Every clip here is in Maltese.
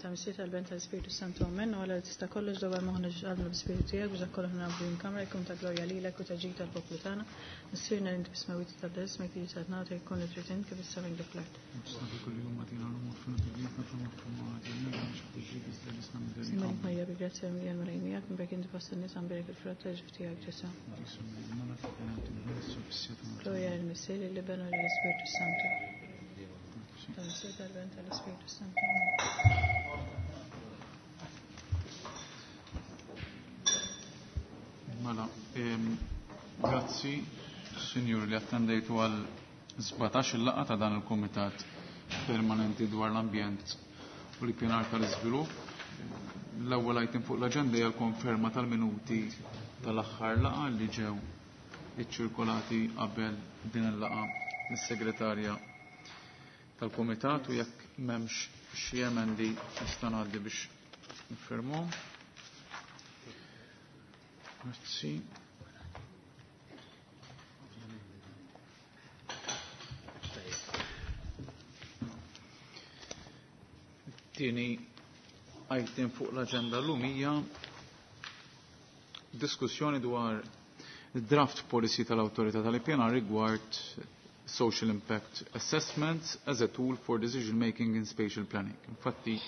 tal-Missier tal-Ben tal-Spiritu Santu Amen. U għala li tista' kollox dwar moħħna ġalna bl-Spiritu tiegħek biex dak kollu nagħmlu din kamra jkun ta' glorja lilek u ta' ġid tal-poplu tagħna. Missierna li inti fis-smewwiet tabda ismek tiġi saltnata jkun li trid int kif is-sema kif l-art. Simma Marija bi grazzja mija l-Mulej miegħek, mberk inti fost in-nisa mberek il-frott tal-ġuf tiegħek Ġesù. Glorja lill-Missier, lill-Iben u lill-Ispirtu Santu. Tal-Missier tal-Ben tal-Ispirtu Santu. Mela, grazzi, Sinjur, li attendejtu għal 17 il-laqgħa ta' dan il-Kumitat Permanenti dwar l-Ambjent u l-Ippjanar tal-Iżvilupp. L-ewwel item fuq l-aġenda hija l-konferma tal-minuti tal-aħħar laqgħa li ġew iċċirkolati qabel din il-laqgħa mis-segretarja tal-Kumitat u jekk m'hemmx xi emendi nista' ngħaddi biex nifirmuhom. Grazzi. Tieni item fuq l-aġenda llum hija diskussjoni dwar draft policy tal-Awtorità tal-Ippjanar rigward social impact assessments as a tool for decision making in spatial planning. Infatti,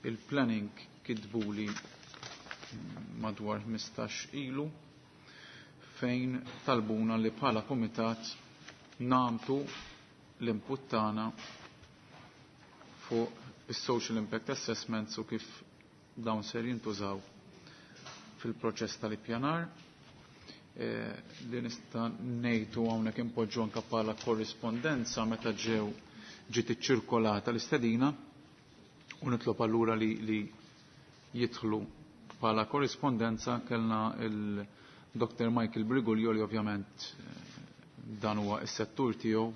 il-planning kitbuli madwar 15 ilu fejn talbuna li bħala komitat namtu l-input tagħna fuq is-social impact assessments u kif dawn ser jintużaw fil-proċess tal-ippjanar. Li nista' ngħidu hawnhekk impoġġu anke bħala korrispondenza meta ġew ġiet iċċirkolata l-istedina u nitlob allura li, li jidħlu bħala korrispondenza kellna il-Dr. Michael Briguglio li ovvjament dan huwa s-settur tiegħu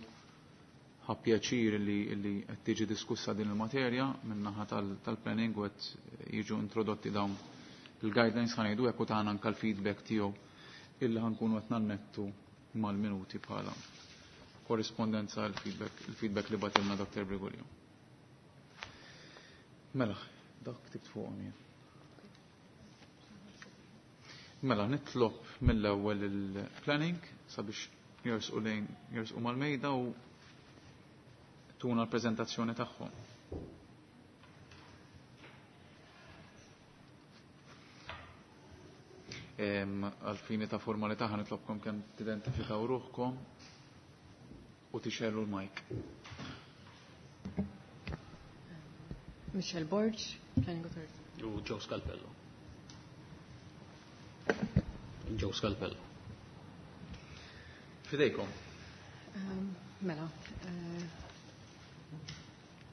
ħa pjaċir li li qed tiġi diskussa din il-materja min-naħa tal-planning u qed jiġu introdotti dawn il-guidelines ħa ngħidu hekk u tagħna anke l-feedback tiegħu illi ħankunu qed nannettu mal-minuti bħala korrispondenza il-feedback li batilna Dr. Briguglio. Mela, dak ktibt fuqhom jien. Mela, nitlob mill-ewwel il-planning sabiex jersqu lejn jersqu mal-mejda u tuna l-preżentazzjoni tagħhom. Għal-fini ta' formalità ħa nitlobkom kemm tidentifikaw ruħkom u tixellu l-mic. Michelle Borg, Planning Authority. U Joe Scalpello. Joe Scalpello. Fidejkom. Mela,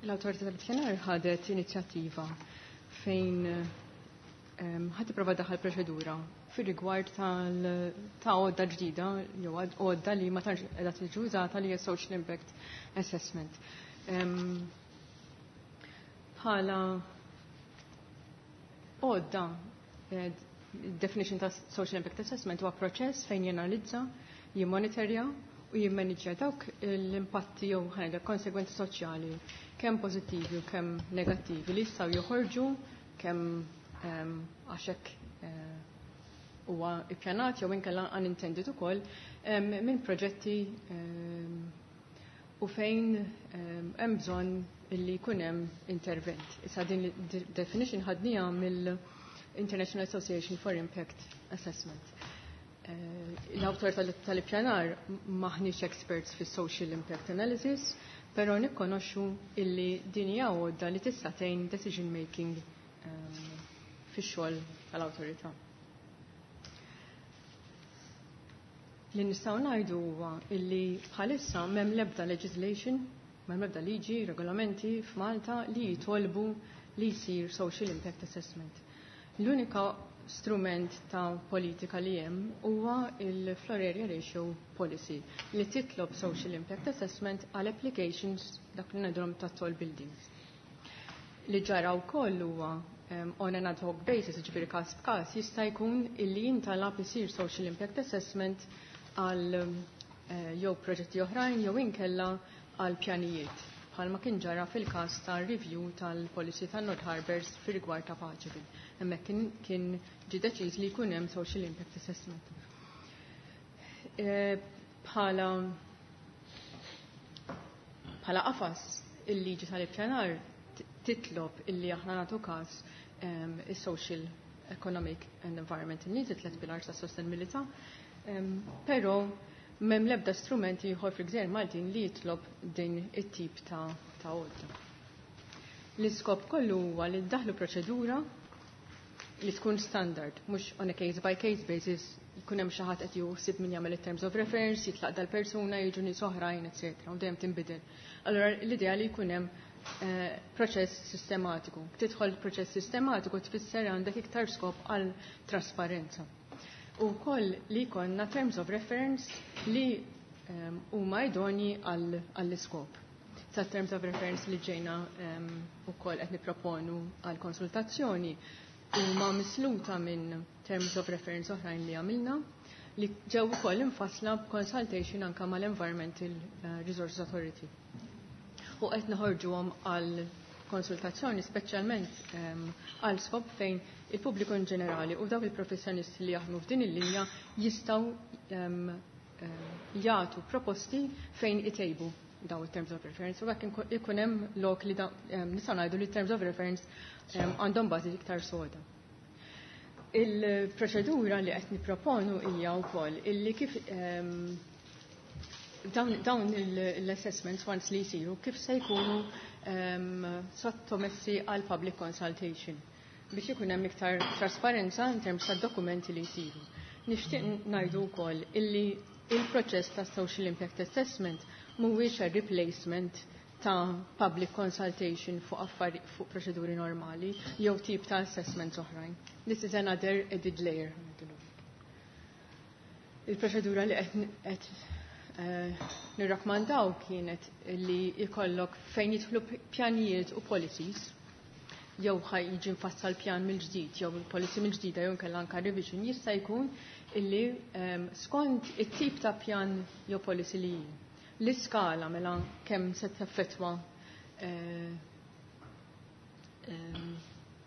l-Awtorità tal-Ippjanar ħadet inizjattiva fejn ħad tipprova daħal proċedura fir-rigward ta' għodda ġdida jew għodda li ma tantx qiegħda tiġi użata li hija social impact assessment. Bħala għodda, definition ta' social impact assessment huwa proċess fejn jenalizza, jimmonitorja u jimmaniġġja dawk l-impatti jew ħajda konsegwenzi soċjali kemm pożittivi u kemm negattivi li jistgħu joħorġu kemm għax hekk huwa ippjanat jew inkella unintended ukoll minn proġetti u fejn hemm bżonn illi jkun hemm intervent. Issa din definition ħadniha mill-International Association for Impact Assessment. L-awtor tal-ippjanar maħniex experts fis social impact analysis, però nikkonoxxu illi din hija għodda li tista' tgħin decision making fix-xogħol tal-awtorità. Li nistgħu ngħidu huwa illi bħalissa m'hemm l-ebda legislation, m'hemm l-ebda liġi, regolamenti f'Malta li jitolbu li jsir social impact assessment. L-unika strument ta' politika li hemm huwa il-Floor Area Ratio Policy li titlob social impact assessment għal applications dak li ngħidulhom ta' tall buildings. Li ġara wkoll huwa on an ad hoc basis, ġifieri każ b'każ, jista' jkun illi jintalab isir social impact assessment għal jew proġetti oħrajn jew inkella għal pjanijiet. bħalma kien ġara fil-każ tar-review tal-policy tan-North Harbours fir-rigward ta' Paċeville. Hemmhekk kien ġie deċiż li jkun hemm social impact assessment. Bħala qafas il-liġi tal-ippjanar titlob illi aħna nagħtu każ is-social, economic and environmental needs, it-tlet pilars ta' sostenibilità, però m'hemm l-ebda strumenti ieħor fil-Gżejjer Maltin li jitlob din it-tip ta' għodda. L-iskop kollu huwa li ddaħlu proċedura li tkun standard, mhux on a case by case basis jkun hemm xi ħadd qed juħsib min jagħmel it-terms of reference, jitlaq dal-persuna, jiġu nies oħrajn, eċetera, u dejjem tinbidel. Allura l-idea li jkun hemm proċess sistematiku. Tidħol proċess sistematiku tfisser għandek iktar skop għal trasparenza. U koll li jkollna terms of reference li huma idoni għall-iskop. Sa terms of reference li ġejna ukoll qed nipproponu għal konsultazzjoni huma misluta minn terms of reference oħrajn li għamilna li ġew ukoll infassla b'consultation anka mal-Environmental Resources Authority. U qed noħorġuhom għal konsultazzjoni speċjalment għal skop fejn il-pubbliku in ġenerali u dawk il-professjonisti li jaħdmu f'din il-linja jistgħu jagħtu proposti fejn itejbu daw il-terms of reference u hekk ikun hemm lok li nistgħu ngħidu li terms of reference għandhom bażi iktar soda. Il-proċedura li qed nipproponu hija wkoll illi kif dawn l-assessments once li jsiru kif se jkunu sottomessi għal public consultation biex ikun hemm iktar trasparenza in terms ta' dokumenti li jsiru. Nixtieq ngħidu wkoll illi il-proċess ta' social impact assessment mhuwiex a replacement ta' public consultation fuq affari fuq proċeduri normali jew tip ta' assessments oħrajn. This is another added layer. Il-proċedura li qed nirrakmandaw kienet li jkollok fejn jidħlu pjanijiet u policies jew ħaj jiġi mfassal pjan mill-ġdid jew il-policy mill-ġdida jew inkella anka revision jista' jkun illi skont it-tip ta' pjan jew policy li l-iskala mela kemm se teffettwa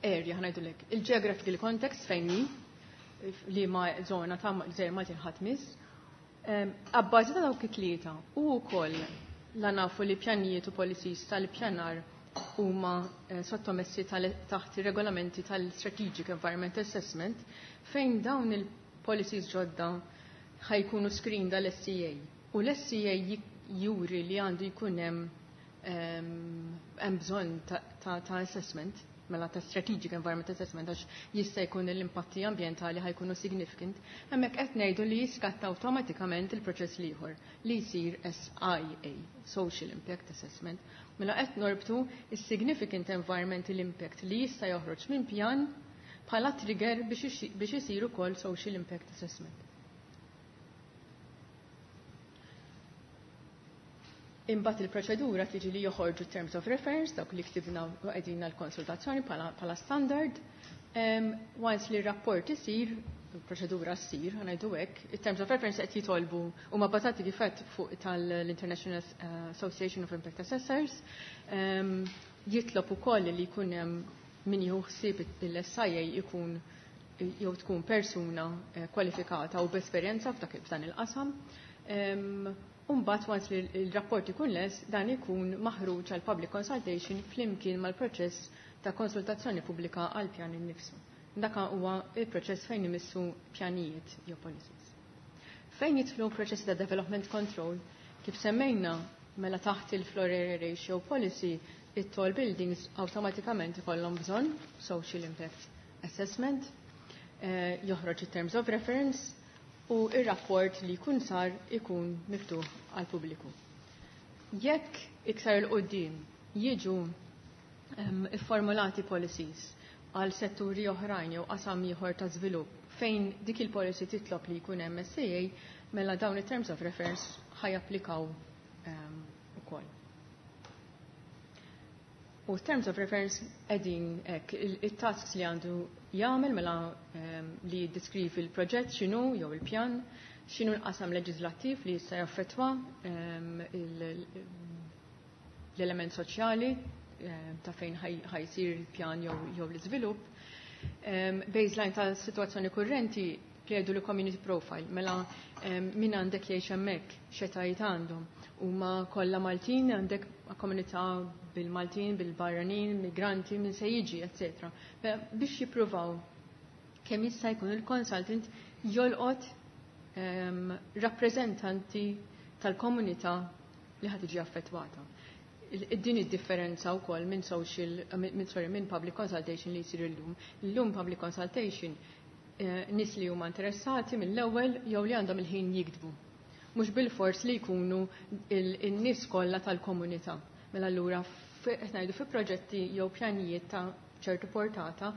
area ħa ngħidulek il-geographical context fejn hi li ma zona ta' Gżejjer Maltin ħadd miss. Abbażi ta' dawk it-tlieta u wkoll la nafu li pjanijiet u policies tal-pjanar huma sottomessi taħt ir-regolamenti tal-Strategic Environment Assessment fejn dawn il-policies ġodda ħajkunu screened dal-SEA. U l-SEA juri li għandu jkun hemm bżonn ta' assessment, mela ta' Strategic Environment Assessment għax jista' jkun l-impatti ambjentali ħajkunu significant, hemmhekk qed ngħidu li jiskatta awtomatikament il-proċess l-ieħor li jsir SIA, Social Impact Assessment. Mela qed norbtu is-significant environmental impact li jista' joħroġ minn pjan bħala trigger biex isir ukoll Social Impact Assessment. Imbagħad il-proċedura tiġi li joħorġu terms of reference, dawk li ktibna u qegħdin l-konsultazzjoni bħala standard. Once li r-rapport isir, il-proċedura ssir, ħa ngħidu hekk, it-terms of reference qed jitolbu huma bbażati kif qed fuq tal-International Association of Impact Assessors. Jitlob ukoll li jkun hemm min jieħu ħsieb il-SIA jkun jew tkun persuna kwalifikata u b'esperjenza f'dan il-qasam. Umbat once li il-rapport ikun les, dan ikun maħruġ għal public consultation flimkien mal-proċess ta' konsultazzjoni pubblika għal pjan innifsu. Daka huwa il-proċess fejn imissu pjanijiet jew policies. Fejn jidħlu proċessi ta' development control, kif semmejna mela taħt il-floor area ratio policy, it-tall buildings awtomatikament ikollhom bżonn social impact assessment, joħroġ it-terms of reference, u ir-rapport li jkun sar ikun miftuħ għal pubbliku. Jekk iktar il-qoddim jiġu ifformulati policies għal setturi oħrajn jew qasam ieħor ta' żvilupp fejn dik il-policy titlob li jkun hemm SIA, mela dawn it-terms of reference ħajapplikaw ukoll. U terms of reference qegħdin hekk il-tasks li għandu jagħmel mela li jiddeskrivi l-proġett x'inhu jew il-pjan, x'inhu l-qasam leġislattiv li jista' jaffettwa l-element soċjali ta' fejn ħa jsir il-pjan jew l-iżvilupp. Baseline ta' situazzjoni kurrenti jgħidu li community profile, mela min għandek jgħix hemmhekk, x'etajiet għandhom. Huma kollha Maltin, għandek komunità bil-Maltin, bil-barranin, migranti, min se jiġi, etc. Biex jippruvaw kemm jista' jkun il-consultant jolqot rappreżentanti tal-komunità li ħad tiġi affettwata. Din id-differenza wkoll minn social, minn sorry, minn public consultation li jsir illum. Illum public consultation nies li huma interessati mill-ewwel jew li għandhom il-ħin jiktbu. Mhux bil-fors li jkunu il-nies kollha tal-komunità. Mela allura qed ngħidu fi proġetti jew pjanijiet ta' ċertu portata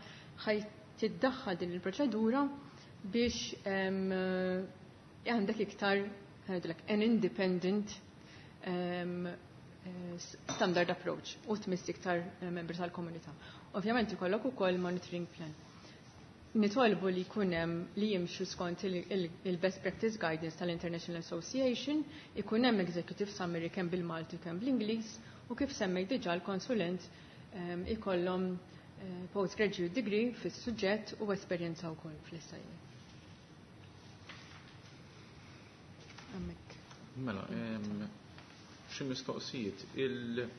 ħaj tiddaħħal din il-proċedura biex għandek iktar ngħidulek an independent standard approach u tmiss iktar membri tal-komunità. Ovvjament ikollok ukoll monitoring plan. Nitolbu li jkun hemm li jimxu skont il-Best Practice Guidance tal-International Association, ikun hemm executive summary kemm bil-Malti kemm bl-Ingliż u kif semmejt diġà l-konsulent ikollhom postgraduate degree fis-suġġett u esperjenza wkoll fl-SIA. Hemmhekk. Mela, xi mistoqsijiet il-dawnet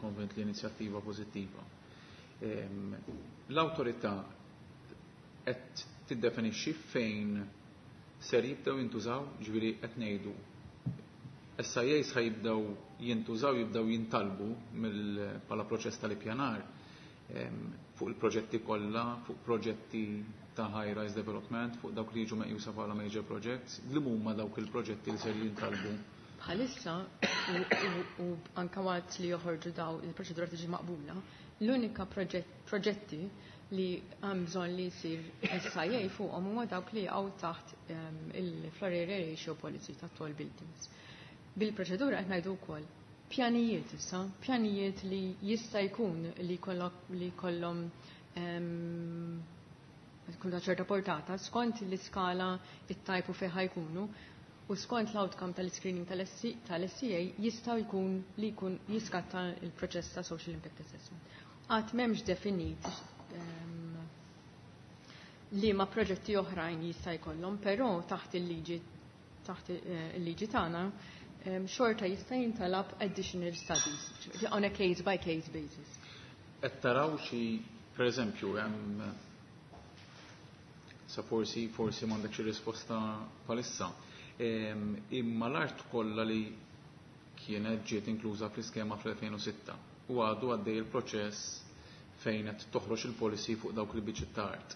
konvent li inizjattiva pożittiva. L-awtorità qed tiddefinixxi fejn ser jibdew jintużaw, ġifieri qed ngħidu SIAs ħa jibdew jintużaw, jibdew jintalbu bħala proċess tal-ippjanar fuq il-proġetti kollha, fuq proġetti ta' high-rise development, fuq dawk li jiġu meqjusa bħala major projects, li huma dawk il-proġetti li ser jintalbu? Bħalissa, u anka waqt li joħorġu daw il-proċedura tiġi maqbula, l-unika proġetti li hemm bżonn li jsir SIA fuqhom huma dawk li jaqgħu taħt il-Floor Area Ratio Policy ta' tall buildings. Bil-proċedura qed ngħidu wkoll pjanijiet issa, pjanijiet li jista' jkun li jkollhom tkun ta' ċerta portata skont l-iskala it-type u fejn jkunu u skont l-outcome tal-screening tal-SCA jistgħu jkun li jkun jiskatta il-proċess ta' social impact assessment. Għad m'hemmx definit li ma proġetti oħrajn jista' jkollhom, però taħt il-liġi tagħna xorta jista' jintalab additional studies on a case by case basis. Qed taraw xi, per eżempju, hemm sa forsi m'għandek xi risposta bħalissa. Imma l-art kollha li kienet ġiet inkluża fl-iskema fl-2006 u għadu għaddej il-proċess fejn qed toħroġ il-policy fuq dawk il-biċċiet ta' art.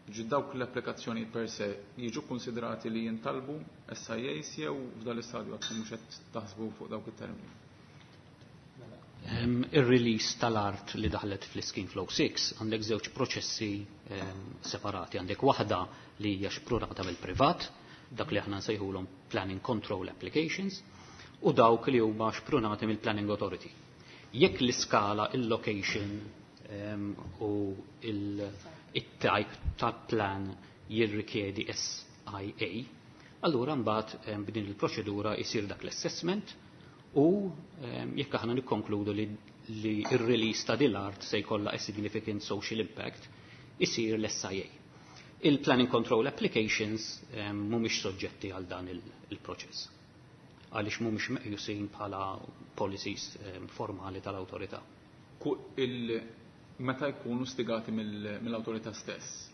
Ġi dawk l-applikazzjoni per se jiġu konsiderati li jintalbu SIAs jew f'dal istadju għadkom mhux qed taħsbu fuq dawk it-termini? Ir-release tal-art li daħlet fl-Scheme Flow 6 għandek żewġ proċessi separati. Għandek waħda li hija xprunata mill-privat, dak li aħna nsejħulhom Planning Control Applications, u dawk li huma xprunati mill-Planning Authority. Jekk l-iskala, il-location u il-type ta' plan jirrikjedi SIA, allura mbagħad b'din il-proċedura jsir dak l-assessment u jekk aħna nikkonkludu li ir-release ta' din l-art se jkollha a significant social impact, isir l-SIA. Il-Planning Control Applications mhumiex soġġetti għal dan il-proċess. Għaliex mhumiex meqjusin bħala policies formali tal-awtorità. Meta jkunu stigati mill-awtorità stess?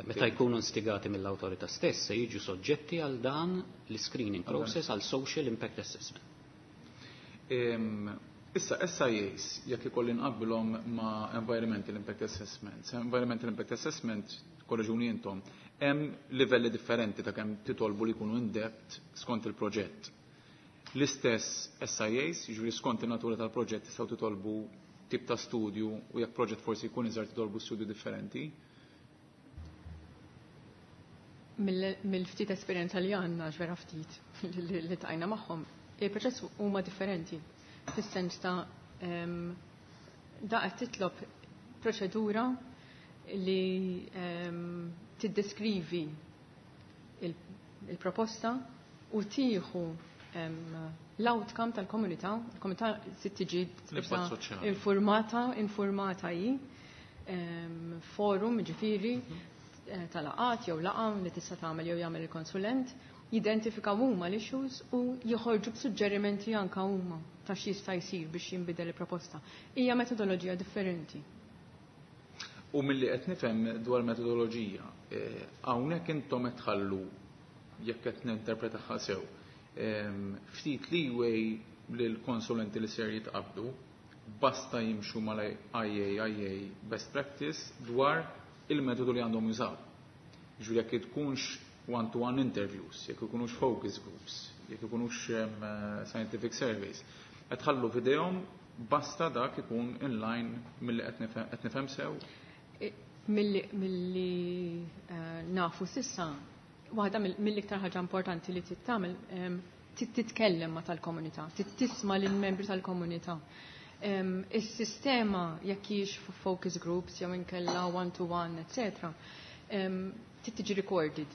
Meta jkunu instigati mill-awtorità stess se jiġu soġġetti għal dan l-screening process, għal social impact assessment. Issa, SIAs, jekk ikolli nqabbilhom ma' Environmental Impact Assessment. Environmental Impact Assessment, korreġuni intom, hemm livelli differenti ta' kemm titolbu li jkunu in-depth skont il-proġett. L-istess SIAs, jiġifieri skont in-natura tal-proġett tistgħu titolbu tip ta' studju u jekk proġett forsi jkun iżgħar titolbu studju differenti. Mill-ftit esperjenza li għandna, vera ftit li tajna magħhom, il-proċess huma differenti. Fis-sens ta' da qed titlob proċedura li tiddeskrivi il-proposta u tieħu L-outcome tal-komunità, il-komunità se tiġi informata, informata hi, forum ġifieri tal-laqgħat jew laqgħa li tista' tagħmel jew jagħmel il-konsulent, jidentifikaw huma l-issues u joħorġu b'suġġerimenti anka huma ta' x'jista' jsir biex jinbidel il-proposta. Hija metodoloġija differenti. U milli qed nifhem dwar metodoloġija, hawnhekk intom qed tħallu, jekk qed ninterpretaha sew, ftit leeway lill-konsulenti li ser jitqabdu, basta jimxu mal-IAIA best practice dwar il-metodu li għandhom jużaw. Ġifieri jekk tkunx one-to-one interviews, jekk ikunux focus groups, jekk ikunux scientific surveys, qed tħallu f'idejhom basta dak ikun in line milli qed nifhem sew. Milli nafu s'issa, waħda mill-iktar ħaġa importanti li tittamel titkellem ma' tal-komunità, tisma' lill-membri tal-komunità. Is-sistema jekk hijiex focus groups jew inkella one-to-one, etc. Tiġi recorded.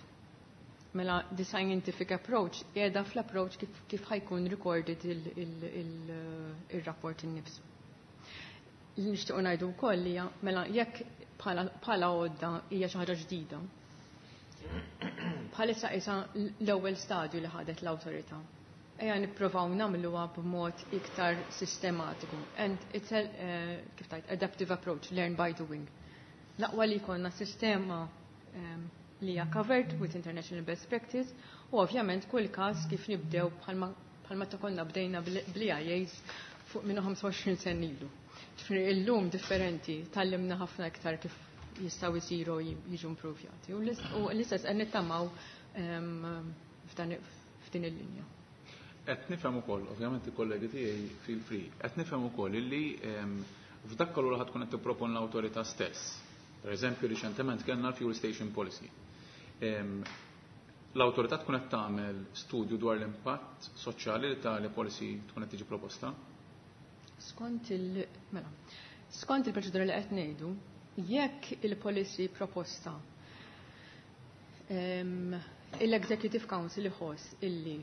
Mela the scientific approach qiegħda fl-approach kif ħa jkun recorded il-rapport innifsu. Li nixtiequ ngħidu wkoll hija mela jekk bħala għodda hija xi ħaġa ġdida. Bħalissa isa l-ewwel stadju li ħadet l-awtorità. Ejja nippruvaw nagħmluha b'mod iktar sistematiku. And it's a kif tgħid, adaptive approach, learn by doing. L-aqwa li jkollna sistema li hija covered with international best practice u ovvjament kull każ kif nibdew bħalma ta' konna bdejna bl-EIAs fuq minnu 25 sen ilu. Ġifieri illum differenti, tgħallimna ħafna iktar kif jistgħu jsiru jiġu improvjati. U l-istess qed nittamaw f'din il-linja. Qed nifhem ukoll, ovvjament il-kollegi tiegħi feel free, qed nifhem ukoll illi f'dak kollu li ħa tkun qed tippropon l-awtorità stess. Per eżempju, riċentement kellna l-Fuel Station Policy. L-awtorità tkun qed tagħmel studju dwar l-impatt soċjali li tali policy tkun qed tiġi proposta? Skont il mela, skont il-proċedura li qed ngħidu, jekk il-policy proposta l-Executive Council iħoss illi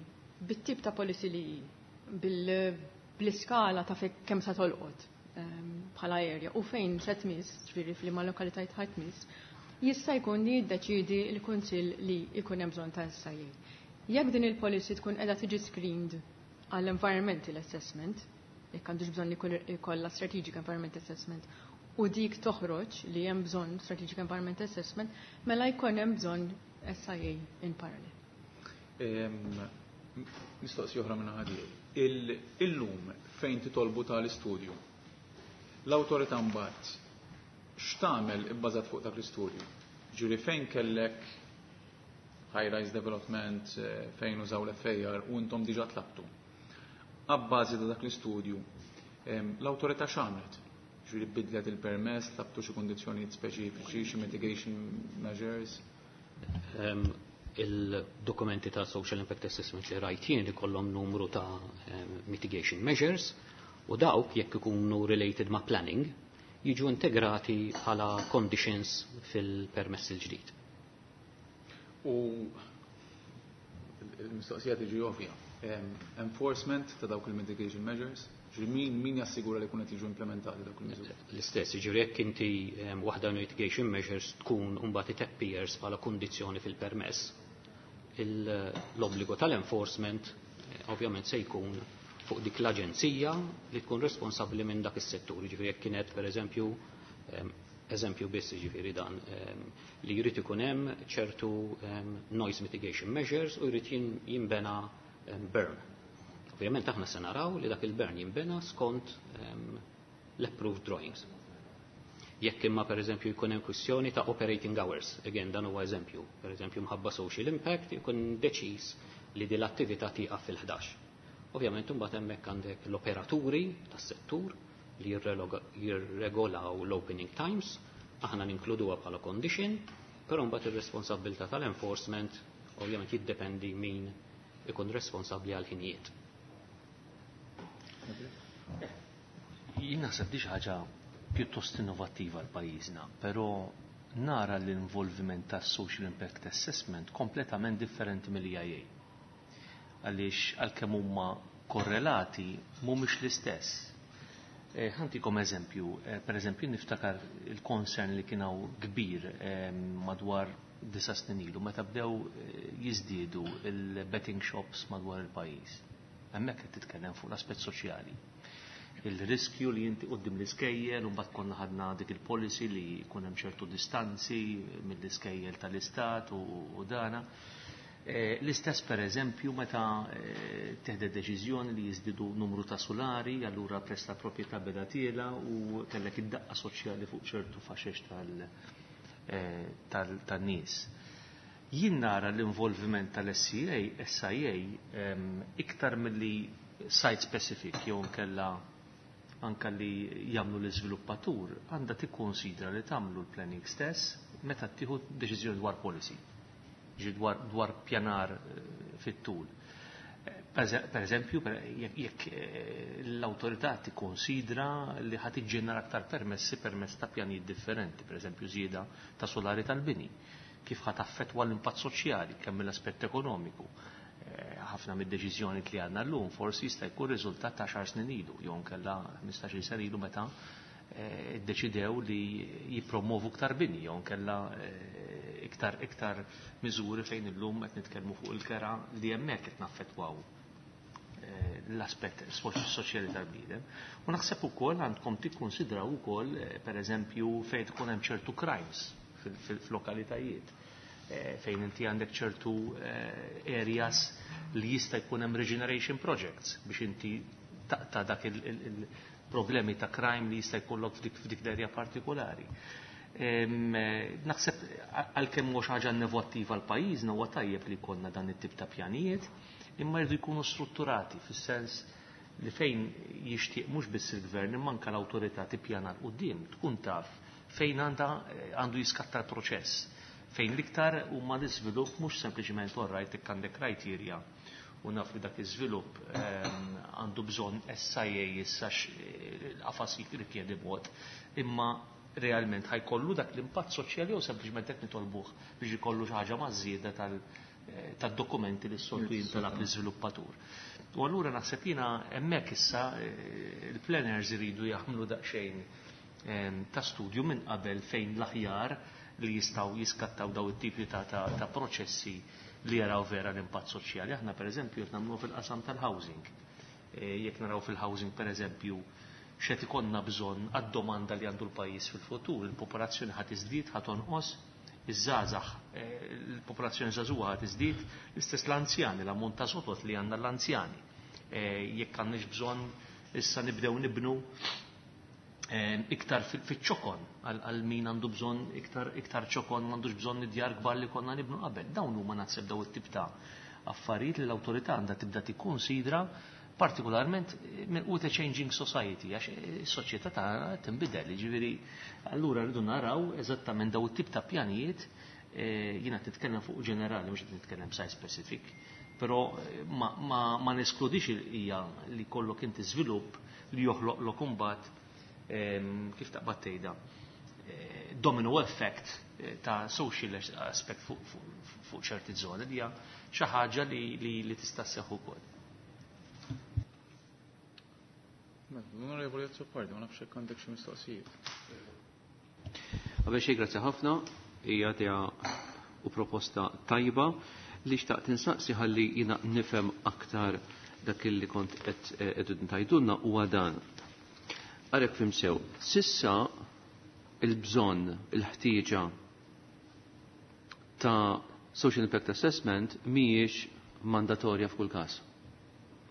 bit-tip ta' policy li hi, bl-iskala ta' kemm sa tolqot bħala area u fejn se tmiss, ġifieri f'liema lokalitajiet ħa tmiss, jista' jkun li jiddeċidi l-Kunsill li jkun hemm bżonn ta' SIA. Jekk din il-policy tkun qiegħda tiġi screened għall-environmental assessment, jekk għandux bżonn li jkollha strategic environment assessment, u dik toħroġ li hemm bżonn strategic environment assessment, mela jkun hemm bżonn SIA in parallel. Mistoqsija oħra minn ħadi. Illum fejn titolbu tal-istudju, l-awtorità mbagħad x'tagħmel ibbażat fuq dak l-istudju? Ġifieri fejn kellek high-rise development, fejn użaw l-FAR u intom diġà tlabtu. Abbażi ta' dak l-istudju, l-awtorità x'għamlet? Ġifieri bidlet il-permess, tlabtu xi kundizzjonijiet speċifiċi, xi mitigation measures? Il-dokumenti ta' Social Impact Assessment li rajt jien li kollhom numru ta' mitigation measures u dawk jekk ikunu related ma' planning jiġu integrati bħala conditions fil-permess il-ġdid. U il-mistoqsija tiġi ovvja. Enforcement ta' dawk il-mitigation measures, ġifieri min jassigura li qed jiġu implementati dawk il-miżuri? L-istess, ġifieri jekk inti waħda mitigation measures tkun mbagħad it appears bħala kundizzjoni fil-permess, l-obbligu tal-enforcement ovvjament se jkun fuq dik l-aġenzija li tkun responsabbli minn dak is-settur. Ġifieri jekk kienet pereżempju, eżempju biss ġifieri dan, li jrid ikun hemm ċertu noise mitigation measures u jrid jinbena berm. Ovvjament aħna se naraw li dak il-berm jinbena skont l-approved drawings. Jekk imma pereżempju jkun hemm kwistjoni ta' operating hours, again dan huwa eżempju, pereżempju mħabba social impact jkun deċiż li din l-attività tieqaf fil-11. Ovvjament imbagħad hemmhekk għandek l-operaturi tas-settur li jirregolaw l-opening times, aħna ninkluduha bħala condition, però mbagħad ir-responsabilità tal-enforcement ovvjament jiddependi min ikun responsabbli għal ħinijiet. Jien naħseb di xi ħaġa pjuttost innovattiva għal pajjiżna, però nara l-involviment tas social impact assessment kompletament differenti mill-EIA. Għaliex għalkemm huma korrelati mhumiex l-istess. Ħa ntikom eżempju, per eżempju niftakar il-concern li kien hawn kbir madwar 9 snin ilu meta bdew jiżdiedu il-betting shops madwar il-pajjiż. Hemmhekk qed titkellem fuq l-aspett soċjali. Il-riskju li inti quddiem l-iskejjel u mbagħad konna ħadna dik il-policy li jkun hemm ċertu distanzi mill-iskejjel tal-istat u dana. L-istess, per eżempju, meta teħdet deċiżjoni li jiżdiedu numru ta' sulari, allura prezz ta' proprjetà beda tiela' u kellek id-daqqa soċjali fuq ċertu faxex tan-nies. Jien nara l-involviment tal-SCA, SIA, iktar milli site specific jew nkella anka li jagħmlu l-iżviluppatur, għandha tikkonsidra li tagħmlu l-planning stess meta tieħu deċiżjoni dwar policy, ġi dwar pjanar fit-tul. Per eżempju, jekk l-autorità tikkonsidra li ħa tiġġenera aktar permessi permezz ta' pjanijiet differenti, per eżempju żieda ta' solari tal-bini, kif ħa taffettwa l-impatt soċjali kemm mill-aspett ekonomiku. Ħafna mid-deċiżjoni li għandna llum forsi jista' jkun riżultat ta' 10 snin ilu, jew nkella 15-il sena ilu meta iddeċidew li jippromovu iktar bini, jew nkella iktar miżuri fejn illum qed nitkellmu fuq il-kera li hemmhekk qed naffettwaw l-aspett soċjali tal-bniedem. U naħseb ukoll għandkom tikkonsidraw ukoll, pereżempju, fejn tkun hemm ċertu crimes fil-lokalitajiet, fejn inti għandek ċertu areas li jista' jkun hemm regeneration projects biex inti taqta' dak il-problemi ta' crime li jista' jkollok f'dik l-area partikolari. Naħseb għalkemm mhux ħaġa innovattiva għal pajjiżna, huwa tajjeb li jkollna dan it-tip ta' pjanijiet, imma jridu jkunu strutturati fis-sens li fejn jixtieq mhux biss il-gvern imma anke l-awtorità tippjana 'l quddiem tkun taf fejn għandu jiskatta l-proċess, fejn l-iktar huma l-iżvilupp, mhux sempliċement orrajt jekk għandek criteria u naf li dak iż-żvilupp għandu bżonn SIA issa l-qafas jirrikjedi mod, imma realment ħa jkollu dak l-impatt soċjali jew sempliċement qed nitolbuh biex ikollu xi ħaġa maż-żieda tad-dokumenti li s-soltu jintalab l-iżviluppatur. U allura naħseb jiena hemmhekk issa il-planners iridu jaħmlu daqsxejn ta' studju minn qabel fejn l-aħjar li jistgħu jiskattaw daw it-tipi ta' proċessi li jaraw vera l-impatt soċjali. Aħna, per eżempju, qed nagħmluh fil-qasam tal-housing. Jekk naraw fil-housing, per eżempju, x'qed ikollna bżonn għad-domanda li għandu l-pajjiż fil-futur, il-popolazzjoni ħa tiżdied, ħa tonqos, iż-żgħażagħ, il-popolazzjoni żagħżugħa ħa tiżdied, l-istess l-anzjani, l-ammont ta' sotot li għandna l-anzjani. Jekk għandniex bżonn issa nibdew nibnu iktar fiċ-ċokon għal min għandu bżonn iktar ċokon, m'għandux bżonn id-djar kbar li konna nibnu qabel. Dawn huma naħseb daw it-tip ta' affarijiet li l-awtorità għandha tibda tikkonsidra, partikolarment with a changing society, għax is-soċjetà tagħna tinbidel, jiġifieri allura rridu naraw eżattament daw it-tip ta' pjanijiet. Jiena titkellem fuq ġenerali, mhux qed nitkellem site specific, però ma neskludix hija li kollok inti żvilupp li joħloq lok imbagħad, kif taqbad tgħidha, domino effect ta' social aspect fuq ċerti żoni li hija xi ħaġa li tista' sseħħ ukoll. Mela, l-Onorevoli Azzopardi, ma nafx jekk għandek xi mistoqsijiet. Qabel xejn grazzi ħafna, hija idea u proposta tajba. Li xtaqt insaqsi ħalli jiena nifhem aktar dak li kont qed tgħidulna huwa dan. Għalhekk fhimt sew, s'issa il-bżonn, il-ħtieġa ta' social impact assessment mhijiex mandatorja f'kull każ.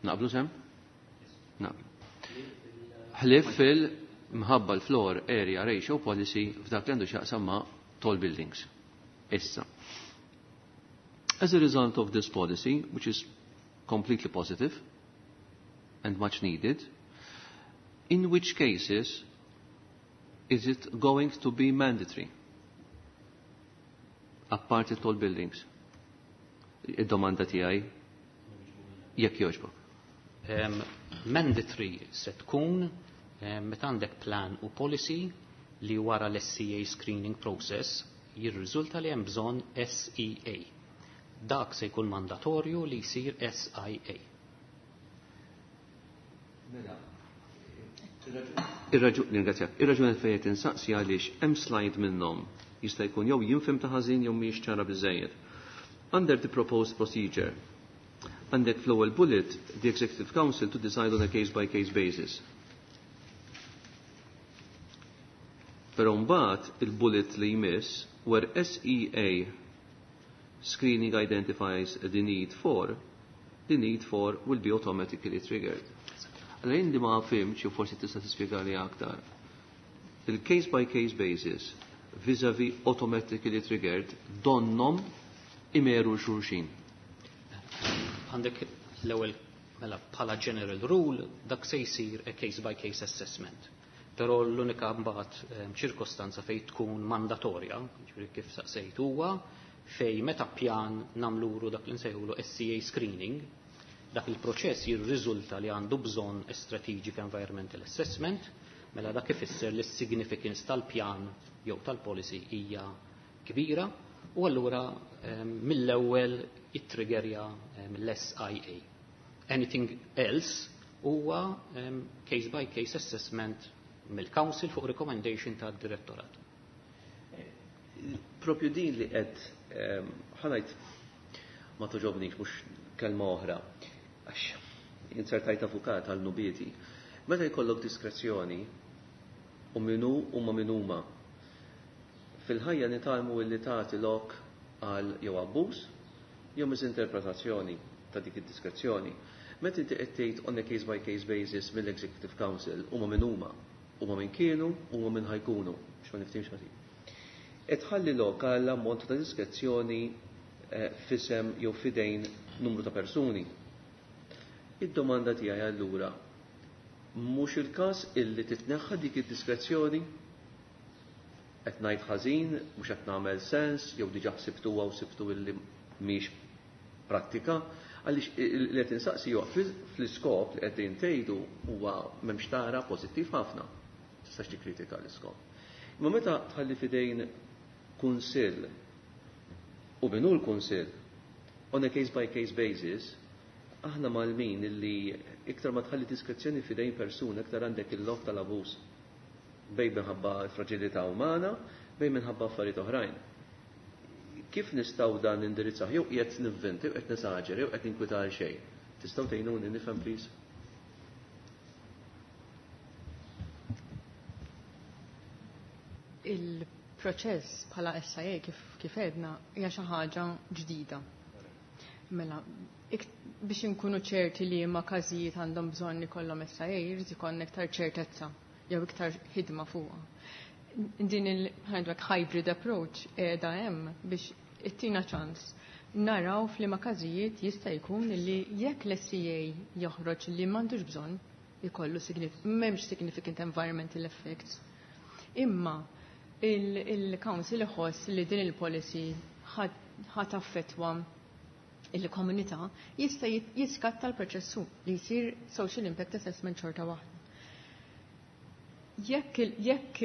Naqblu sew? Naqblu. Ħlif fil-mħabba l-floor area ratio policy f'dak li għandu x'jaqsam ma' tall buildings. Issa. As a result of this policy, which is completely positive and much needed, in which cases is it going to be mandatory? Apparti tall buildings. Id-domanda tiegħi, jekk jogħġbok. Mandatory se tkun meta għandek plan u policy li wara l-SCA screening process jirriżulta li hemm bżonn SEA. Dak se jkun mandatorju li jsir SIA. Mela, Ir-raġuni fejn qed insaqsi għaliex hemm slide minnhom jista' jkun jew jinfhem ta' ħażin jew mhijiex ċara biżejjed. Under the proposed procedure, għandek fl-ewwel bullet the Executive Council to decide on a case by case basis. Però mbagħad il-bullet li jmiss where SEA screening identifies the need for, the need for will be automatically triggered. Għalajn li ma fimx, jew forsi tista' tispjegali aktar. Il-case by case basis vis-a-vis automatically triggered donnom imeru xulxin. Għandek l-ewwel mela bħala general rule dak se jsir a case by case assessment. Però l-unika mbagħad ċirkostanza fejn tkun mandatorja, ġifieri kif saqsejt huwa, fej meta pjan namluru dak li nsejħulu SCA screening, dak il-proċess jirriżulta li għandu bżonn strategic environmental assessment, mela dak ifisser li s-significance tal-pjan jew tal-policy hija kbira u allura mill-ewwel jittriggerja l-SIA. Anything else huwa case by case assessment mill-Council fuq recommendation tad-direttorat. Propju din li qed ħanajt ma toġobnix mhux kelma oħra. Għax insertajt avukat għal nubieti. Meta jkollok diskrezzjoni u minu u ma minuma. Fil-ħajja nitalmu illi tagħti lok għal jew abbuż jew misinterpretazzjoni ta' dik id-diskrezzjoni. Meta inti qed tgħid on a case by case basis mill-Executive Council huma min huma, huma min kienu, huma min ħajkunu, x'ma niftimx ħażin. Qed tħalli lok għal ammont ta' diskrezzjoni fisem jew fidejn numru ta' persuni. Id-domanda tiegħi allura mhux il-każ illi titneħħa dik id-diskrezzjoni? Qed ngħid ħażin, mhux qed nagħmel sens, jew diġà ħsibtuha u sibtu illi mhix prattika, għaliex li qed insaqsi huwa fl-iskop li qegħdin tgħidu huwa m'hemmx tara pożittiv ħafna. Tistax tikkritika l-iskop. Imma meta tħalli fidejn kunsill u minnu l-kunsill on a case by case basis, aħna malmin illi iktar ma tħalli diskrezzjoni fidejn persuna, iktar għandek il-lok tal-abuż. Bej minħabba fragilità umana, bej minħabba affarijiet oħrajn. Kif nistgħu dan indirizzaw? Jew qiegħed nivvinti, jew qed nesaġer, jew qed ninkwita għal xejn. Tistgħu tgħinuni nifhem please? Il-proċess bħala SIA kif edna hija xi ħaġa ġdida. Mela, biex inkunu ċerti li ma każijiet għandhom bżonn ikollhom SIA, jrid ikollna iktar ċertezza jew iktar ħidma fuqha. Din il hybrid approach qiegħda hemm biex ittina ċans naraw f'liema każijiet jista' jkun li jekk l-SCA joħroġ li m'għandux bżonn ikollu m'hemmx significant environmental effects. Imma il-Council iħoss li din il-policy ħat affettwa il-komunità jista' jiskatta l-proċessu li jsir social impact assessment xorta waħda. Jekk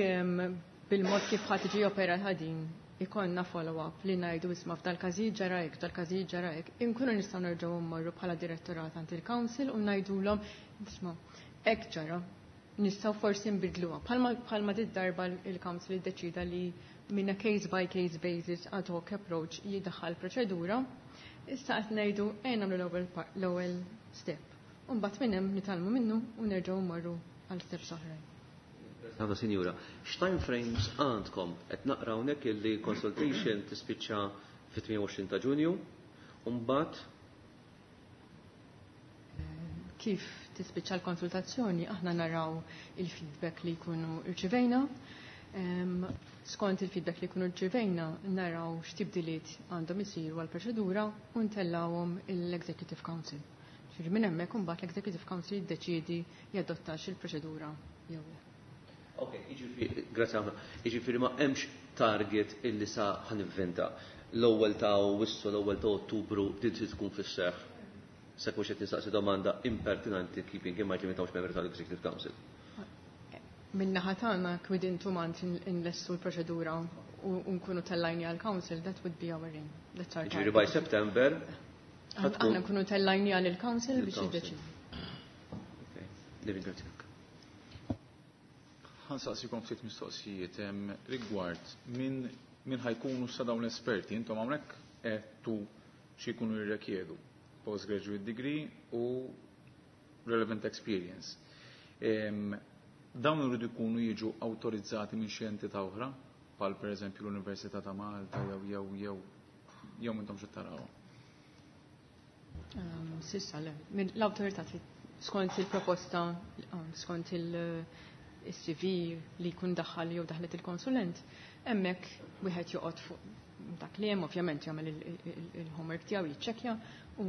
bil-mod kif ħadd tiġi operata din ikollna follow-up li ngħidu isma' f'dal-każijiet ġara hekk, f'dal-każijiet ġara hekk, inkunu nistgħu nerġgħu mmorru bħala direttorat għand il-council u ngħidulhom isma' hekk ġara, nistgħu forsi nbidluha. Bħalma dit darba il-council iddeċida li minn a case by case basis ad hoc approach jidaħħal proċedura, issa qed ngħidu ejja nagħmlu l-ewwel step. U mbagħad minn hemm nitgħallmu minnu u nerġgħu mmorru għal steps oħrajn. Għada sinjura, x'time frames għandkom? Qed naqra hawnhekk illi consultation tispiċċa fit-28 ta' Ġunju, u mbagħad kif tispiċċa l-konsultazzjoni aħna naraw il-feedback li jkunu rċivejna. Skont il-feedback li jkunu rċivejna naraw x'tibdiliet għandhom isiru għall-proċedura u ntellawhom l-Executive Council. Ġifieri minn hemmhekk imbagħad l-Executive Council jiddeċiedi jadottax il-proċedura jew le. Ok, jiġifieri, grazie ħafna. Jiġifieri ma hemmx target illi sa ħanivvinta. L-ewwel ta' Awwissu, l-ewwel ta' Ottubru din trid tkun fis-seħħ. Se kux qed nistaqsi domanda impertinenti keeping in mind li m'intawx membri tal-Executive Council. Min-naħa tagħna within 2 months inlessu l-proċedura u nkunu tellajni għal-Council, that would be our aim. That's our Ġifieri target. by September Aħna nkunu tellajni għal-Council biex Il-Council. jiddeċidu. Okay. Nirringrazzjak. Ħa nsaqsikom ftit mistoqsijiet rigward min ħa jkunu sa dawn l-esperti, intom hawnhekk għedtu xi jkunu jirrekjedu postgraduate degree u relevant experience. Dawn iridu jkunu jiġu awtorizzati minn xi entità oħra, bħal pereżempju l-Università ta' Malta jew intom xi taraw. S'issa le. Minn l-awtorità skont il-proposta, skont il-CV li jkun daħħal jew daħlet il-konsulent, hemmhekk wieħed joqgħod fuq dak li hemm, ovvjament jagħmel il-homework tiegħu, jiċċekkja u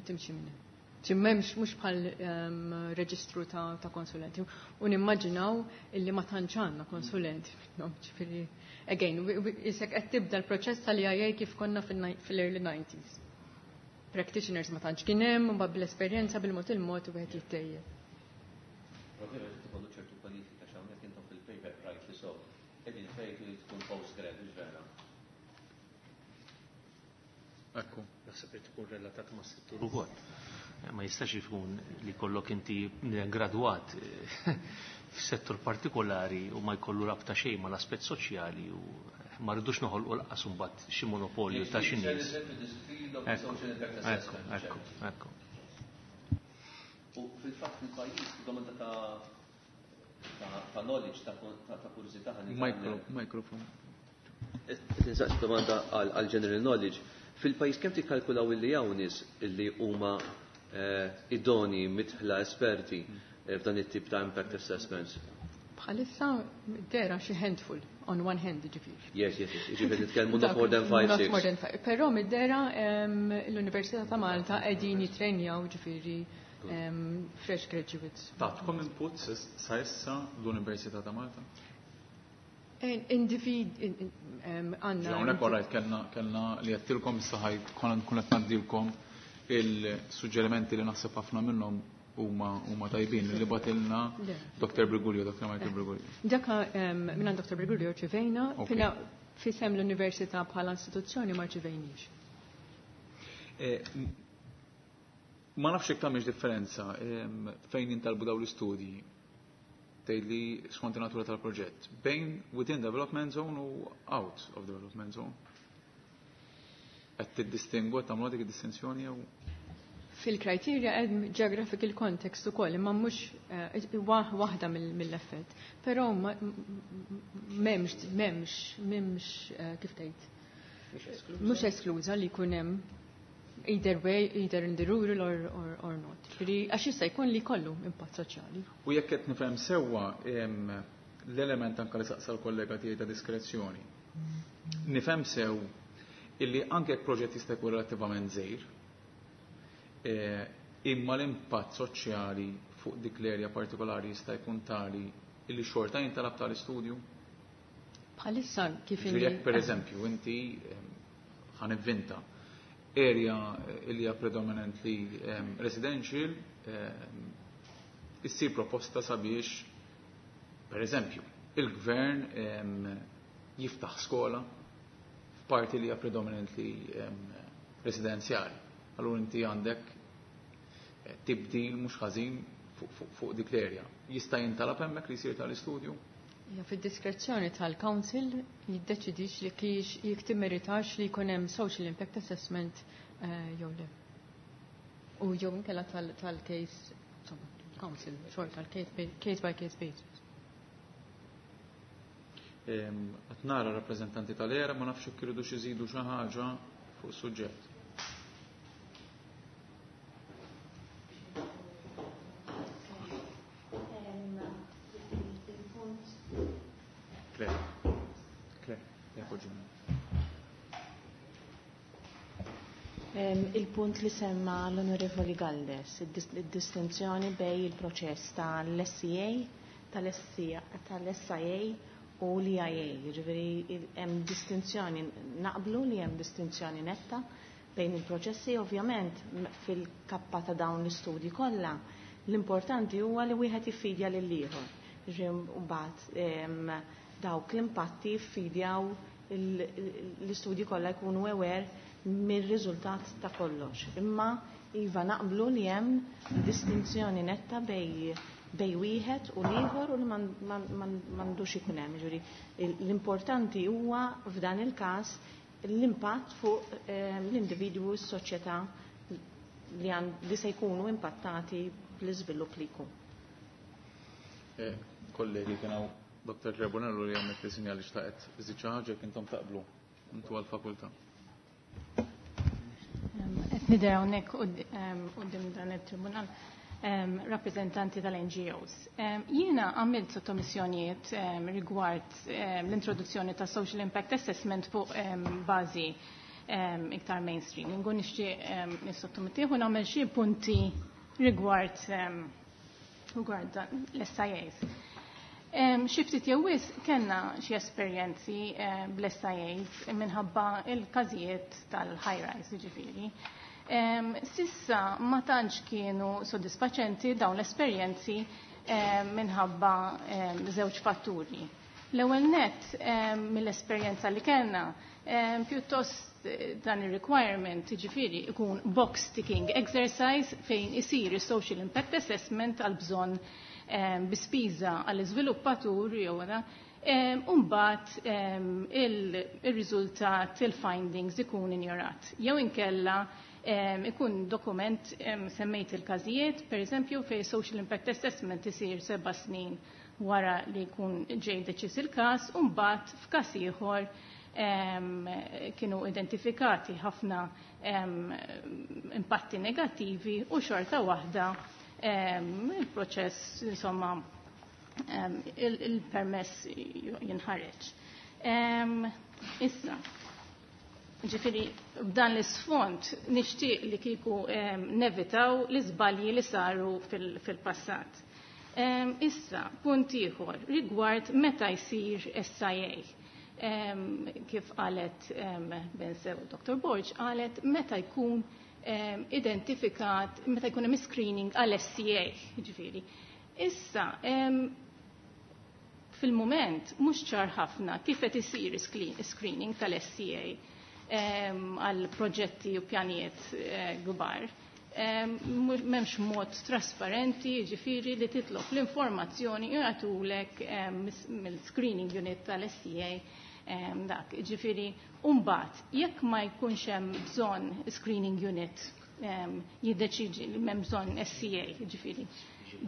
timxi minn hemm. Ġi m'hemmx mhux bħal reġistru ta' konsulenti. U nimmaġinaw illi ma tantx għandna konsulenti minnhom, ġifieri again, isek qed tibda l-proċess tal-IA kif konna fil-early 90s. Practitioners ma tantx kien hemm, mbagħad bl-esperjenza bil-mod il-mod wieħed jittejjeb. Ovvjament ikollu ċertu kwalifika x'hawnhekk intom fil-paper right li so qegħdin tgħidu li tkun postgrad, mhux vera. Ekku. Naħseb li tkun relatat ma' settur ukoll. Ma jistax ikun li kollok inti gradwat f'settur partikolari u ma jkollu rabta xejn mal-aspett soċjali u ma rridux noħolqu lanqas imbagħad xi monopolju ta' xi nies. Ekku, ekku, ekku. U fil-fatt fil-pajjiż domanda ta' knowledge, ta' kurżità ħa nitgħallem. Mikrofon. Tinsaqs domanda għal general knowledge. Fil-pajjiż kemm tikkalkulaw illi hawn nies illi huma idoni, mitħla esperti f'dan it-tip ta' impact assessments? Bħalissa dera xi handful, on one hand ġifieri. Yes. Ġifieri nitkellmu not more than 5, Not 6. more than 5. Però mid-dera l-Università ta' Malta qegħdin jitrenjaw ġifieri fresh graduates. Tatkom input sa issa l-Università ta' Malta? Individ, għandna. Hawnhekk orajt kellna li għedtilkom issa ħaj konna nkun qed ngħaddilkom il-suġġerimenti li naħseb ħafna minnhom huma tajbin li bagħtilna Le. Dr. Briguglio, Dr. Michael Briguglio. Daka minn Dr. Briguglio rċevejna, fina fisem l-Università bħala istituzzjoni ma rċevejniex. Ma nafx jekk tagħmilx differenza fejn jintalbu dawn l-istudji tgħidli skont in-natura tal-proġett bejn within development zone u out of development zone. Qed tiddistingwu, qed tagħmlu dik id-distinzjoni jew? Fil-criteria hemm geographical context ukoll, imma mhux waħda mill-effett. Però m'hemmx kif tgħid? Mhux eskluża li jkun hemm either way, either in the rural or not. Ġifieri, għax jista' jkun li kollu impatt soċjali. U jekk qed nifhem sewwa l-element anke li saqsa l-kollega tiegħi ta' diskrezzjoni. Nifhem sew illi anke jekk proġett jista' jkun relattivament żgħir, imma l-impatt soċjali fuq dik l-erja partikolari jista' jkun tali illi xorta jintalab tal-istudju? Bħalissa kif Ġifieri inni jekk per eżempju inti ħa nivvinta area illi hija predominantly residential, issir proposta sabiex per eżempju il-gvern jiftaħ skola f'parti li hija predominantly residenzjali. Allura inti għandek tibdil mhux ħażin fuq dik l-area. Jista' jintalab hemmhekk li jsir tal-istudju? Ja, fid-diskrezzjoni tal-Council jiddeċidix li kiex jekk timmeritax li jkun hemm social impact assessment jew le. U jew inkella tal-case, insomma, council, xorta tal-case case by case basis. Qed nara rappreżentanti tal-ERA, ma nafx jekk iridu xi jżidu xi ħaġa fuq suġġett. Claire. Claire, jappoġġuna. Il-punt li semma l-Onorevoli Galdes, id-distinzjoni bej il-proċess tal-SCA, tal-SIA u l-EIA, jiġifieri hemm distinzjoni, naqblu li hemm distinzjoni netta bejn il-proċessi, ovvjament fil-kappa ta' dawn l-istudji kollha, l-importanti huwa li wieħed jiffidja lil ieħor. Jiġifieri mbagħad dawk l-impatti jiffidjaw l-istudji kollha jkunu aware mir-riżultat ta' kollox. Imma iva naqblu li hemm distinzjoni netta bej wieħed u l-ieħor u li m'għandux ikun hemm. Jiġifieri l-importanti huwa f'dan il-każ l-impatt fuq l-individwu u s-soċjetà li se jkunu impattati bl-iżvilupp li jkun. Kollegi, kien hawn Dr. Trebonello li għamlet li sinjali xtaqet iżid xi ħaġa jekk intom taqblu intu għall-fakultà. Qed nidher hawnhekk quddiem dan it-tribunal rappreżentanti tal-NGOs. Jiena għamilt sottomissjonijiet rigward l-introduzzjoni ta' Social Impact Assessment fuq bażi iktar mainstream. Nkun nixtieq nissottomettih u nagħmel xi punti rigward l-SIAs. Xi ftit jew wisq kellna xi esperjenzi bl-SIAs minħabba il-każijiet tal-high rise, jiġifieri. Sissa ma tantx kienu sodisfaċenti dawn l-esperjenzi minħabba żewġ fatturi. L-ewwel nett, mill-esperjenza li kellna, pjuttost dan ir-requirement, jiġifieri ikun box ticking exercise fejn isir is-social impact assessment għal bżonn bi spiża għall-iżviluppatur jew u mbagħad il-riżultat, il-findings ikun injorat. Jew inkella ikun dokument, semmejt il-każijiet, per eżempju, fej social impact assessment isir 7 snin wara li jkun ġej deċiż il-każ, u mbagħad f'każ ieħor kienu identifikati ħafna impatti negattivi u xorta waħda il-proċess, insomma, il-permess jinħareġ. Issa, ġifieri, b'dan l-isfond nixtieq li kieku nevitaw l-iżbalji li saru fil-passat. Issa, punt ieħor rigward meta jsir SIA. Kif qalet bensew Dr. Borg, qalet meta jkun identifikat, meta jkun hemm screening għal SCA, ġifieri. Issa, fil-moment mhux ċar ħafna kif qed isir screening tal-SCA għal proġetti u pjanijiet kbar. M'hemmx mod trasparenti, ġifieri li titlob l-informazzjoni jagħtulek mill-screening unit tal-SCA dak. Ġifieri, mbagħad, jekk ma jkunx hemm bżonn screening unit jiddeċiġi li m'hemm bżonn SCA, ġifieri.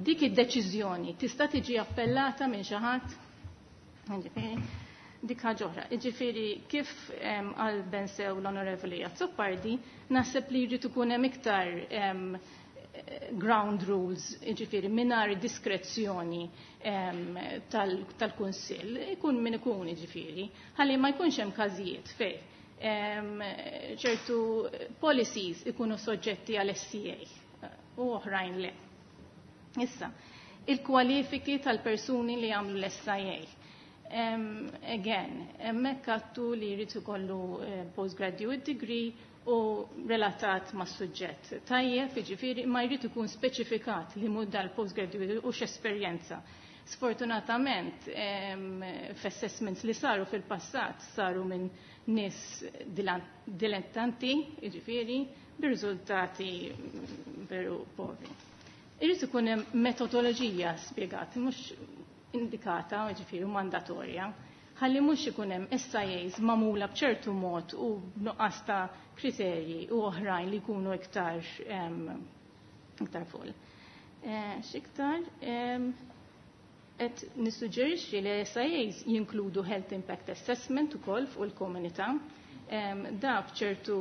Dik id-deċiżjoni tista' tiġi appellata minn xi ħadd? Ġifieri, dik ħaġa oħra. Ġifieri, kif qal bensew l-Onorevoli Azzopardi, naħseb li jrid ikun hemm iktar ground rules, ġifieri, mingħajr diskrezzjoni tal-Kunsill, ikun min ikun, ġifieri, ħalli ma jkunx hemm każijiet fej ċertu policies ikunu soġġetti għal SCA u oħrajn le. Issa, il-kwalifiki tal-persuni li għamlu l-SIA. Again, hemmhekk għattu li jrid ikollu postgraduate degree u relatat ma' suġġett. Tajjeb, jiġifieri, ma jrid ikun speċifikat li mud dal-postgraduate u x'esperjenza. Sfortunatament, f'assessments li saru fil-passat saru minn nies dilettanti, jiġifieri, bir-riżultati veru povri. Irrid ikun hemm metodoloġija spjegat, mhux indikata, ġifieri mandatorja, ħalli mhux ikun hemm SIAs magħmula b'ċertu mod u b'nuqqas ta' kriterji u oħrajn li jkunu iktar full. X'iktar qed nissuġġerixxi li SIAs jinkludu Health Impact Assessment ukoll fuq il-komunità. Da f'ċertu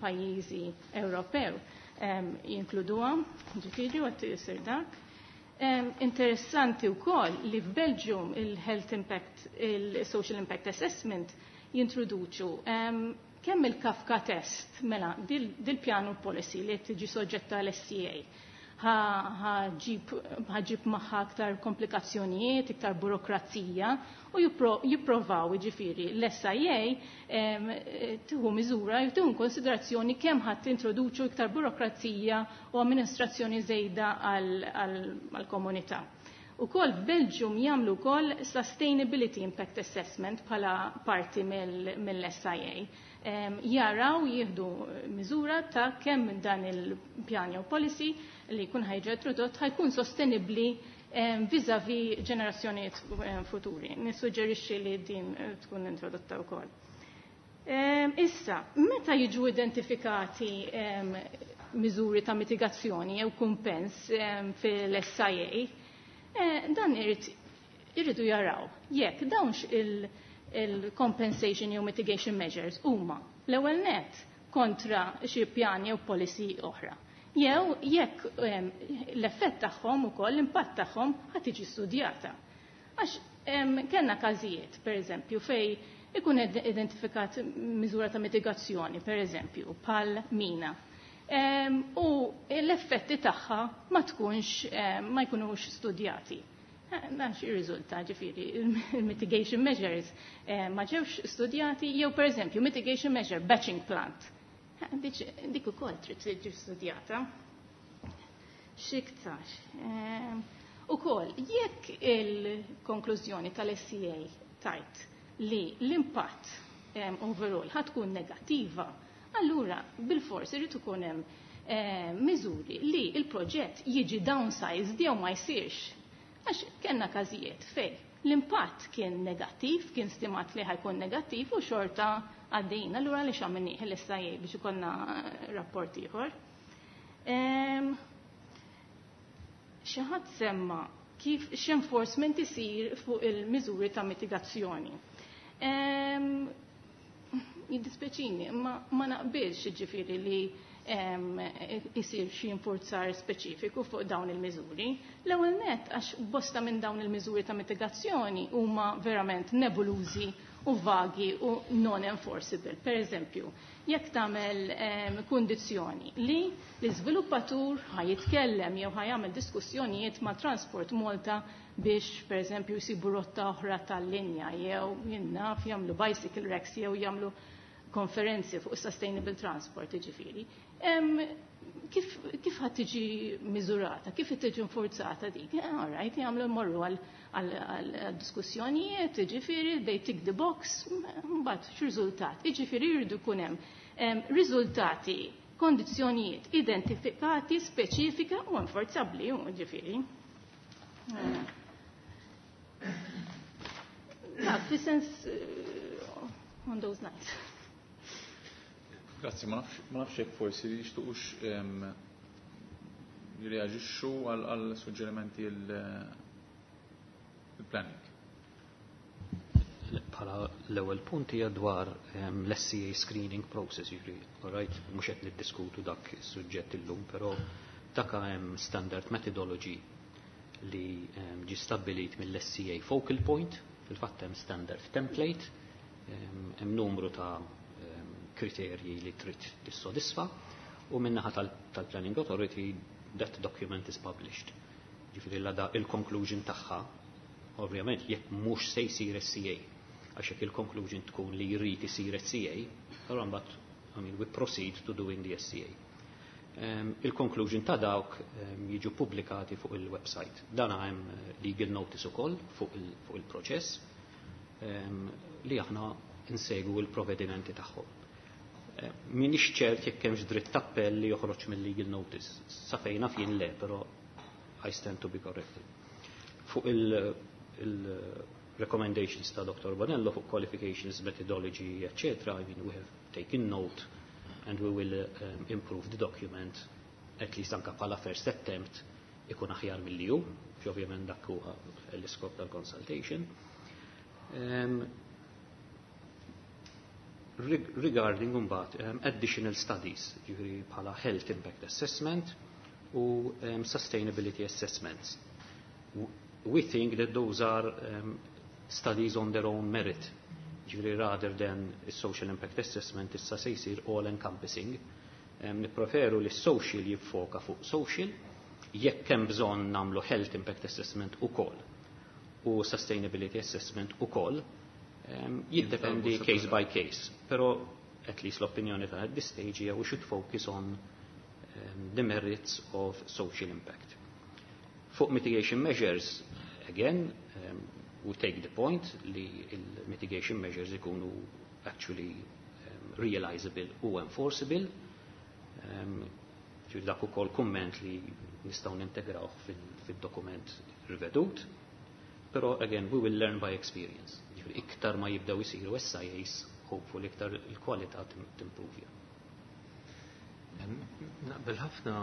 pajjiżi Ewropew jinkluduha, ġifieri u qed isir dak. Interessanti wkoll li f'Belgium il-Health Impact, il-Social Impact Assessment jintroduċu kemm il-Kafka test, mela dil-pjanu policy li tiġi soġġetta l-SCA ħa ġġib magħha aktar komplikazzjonijiet, iktar burokrazija u jipprovaw, ġifieri, l-SIA tieħu miżura, tieħu konsiderazzjoni kemm ħadd introduċu iktar burokrazija u amministrazzjoni żejda għall-komunità. Ukoll f'Belgium jagħmlu wkoll Sustainability Impact Assessment bħala parti mill-SIA. Jaraw jieħdu miżura ta' kemm dan il-pjan jew policy li jkun ħa jiġi introdott ħa jkun sostenibbli vis-a-vis ġenerazzjonijiet futuri. Nissuġġerixxi li din tkun introdotta wkoll. Issa, meta jiġu identifikati miżuri ta' mitigazzjoni jew kumpens fil-SIA, dan irridu jaraw jekk dawnx il-compensation jew mitigation measures huma l-ewwel net kontra xi pjan jew policy oħra. Jew jekk l-effett tagħhom ukoll l-impatt tagħhom ħa tiġi studjata. Għax kellna każijiet, per eżempju, fej ikun identifikat miżura ta' mitigazzjoni, per eżempju, pal mina. U l-effetti tagħha ma tkunx ma jkunux studjati. Dan xi riżulta ġifieri il-mitigation measures ma ġewx studjati jew per eżempju mitigation measure batching plant. Dik ukoll trid tiġi studjata. X'iktar. Ukoll jekk il-konklużjoni tal-SCA tajt li l-impatt overall ħa tkun negattiva, allura bil-fors irid ikun hemm miżuri li il-proġett jiġi downsized jew ma jsirx. Għax kellna każijiet fej l-impatt kien negattiv, kien stimat li ħa jkun negattiv u xorta għaddejna, allura li x'għamilnieh l-SIA biex ikollna rapport ieħor. Xi ħadd semma kif x'enforcement isir fuq il-miżuri ta' mitigazzjoni. Jiddispjaċini, ma, ma naqbilx ġifieri li isir xi infurzar speċifiku fuq dawn il-miżuri. L-ewwel net għax bosta minn dawn il-miżuri ta' mitigazzjoni huma verament nebulużi u vagi u non-enforceable. Per eżempju, jekk tagħmel kundizzjoni li l-iżviluppatur ħa jitkellem jew ħa jagħmel diskussjonijiet ma' Transport Malta biex per eżempju jsibu rotta oħra tal-linja jew jien naf jagħmlu bicycle racks jew jagħmlu konferenzi fuq sustainable transport ġifieri. Kif ħa tiġi miżurata, kif tiġi infurzata dik? All right, jagħmlu morru għal diskussjonijiet, ġifieri, they tick the box, mbagħad x'riżultat? Jiġifieri jridu jkun hemm riżultati, kondizzjonijiet identifikati, speċifika u enforzabbli, ġifieri. Ja, fi sens on those lines. Grazzi, ma nafx jekk forsi jixtuqux jirreaġixxu għal suġġerimenti il-planning. Bħala l-ewwel punt hija dwar l-SCA screening process, jiġri, all right, mhux qed niddiskutu dak is-suġġett illum, però dak hemm standard methodology li ġi stabbilit mill-SCA focal point, fil-fatt hemm standard template, hemm numru ta' kriterji li trid tissodisfa u minnaħa tal-Planning Authority that document is published. Ġifieri la da il-conclusion tagħha, ovvjament jekk mhux se jsir SCA, għax jekk il-conclusion tkun li jrid isir SCA, allura mbagħad I mean, we proceed to doing the SCA. Il-conclusion ta' dawk jiġu pubblikati fuq il-website. Dan hemm legal notice ukoll fuq il-proċess li aħna insegwu il-provvedimenti tagħhom. Minix ċert jekk hemmx dritt appell li joħroġ mill-legal notice. Sa fejn naf jien le, però I stand to be corrected. Fuq il-recommendations ta' Dr. Bonello fuq qualifications, methodology, etc., I mean, we have taken note and we will improve the document, at least anka bħala first attempt ikun aħjar mill-li hu, ovvjament dak huwa l-iskop tal-consultation. Regarding mbagħad additional studies, ġifieri bħala health impact assessment u sustainability assessments. We think that those are studies on their own merit. Ġifieri rather than social impact assessment issa se jsir all encompassing. Nippreferu li social jiffoka fuq social, jekk hemm bżonn nagħmlu health impact assessment ukoll u sustainability assessment ukoll, jiddependi case by case. Però at least l-opinjoni ta' at this stage hija we should focus on the merits of social impact. Fuq mitigation measures, Again, we take the point li il-mitigation measures ikunu actually realizable u enforceable. Ġifieri dak ukoll kumment li nistgħu nintegrawh fil-dokument rivedut. Però again, we will learn by experience. Ġifieri iktar ma jibdew isiru SIAs, hopefully iktar il-kwalità timprovja. Naqbel ħafna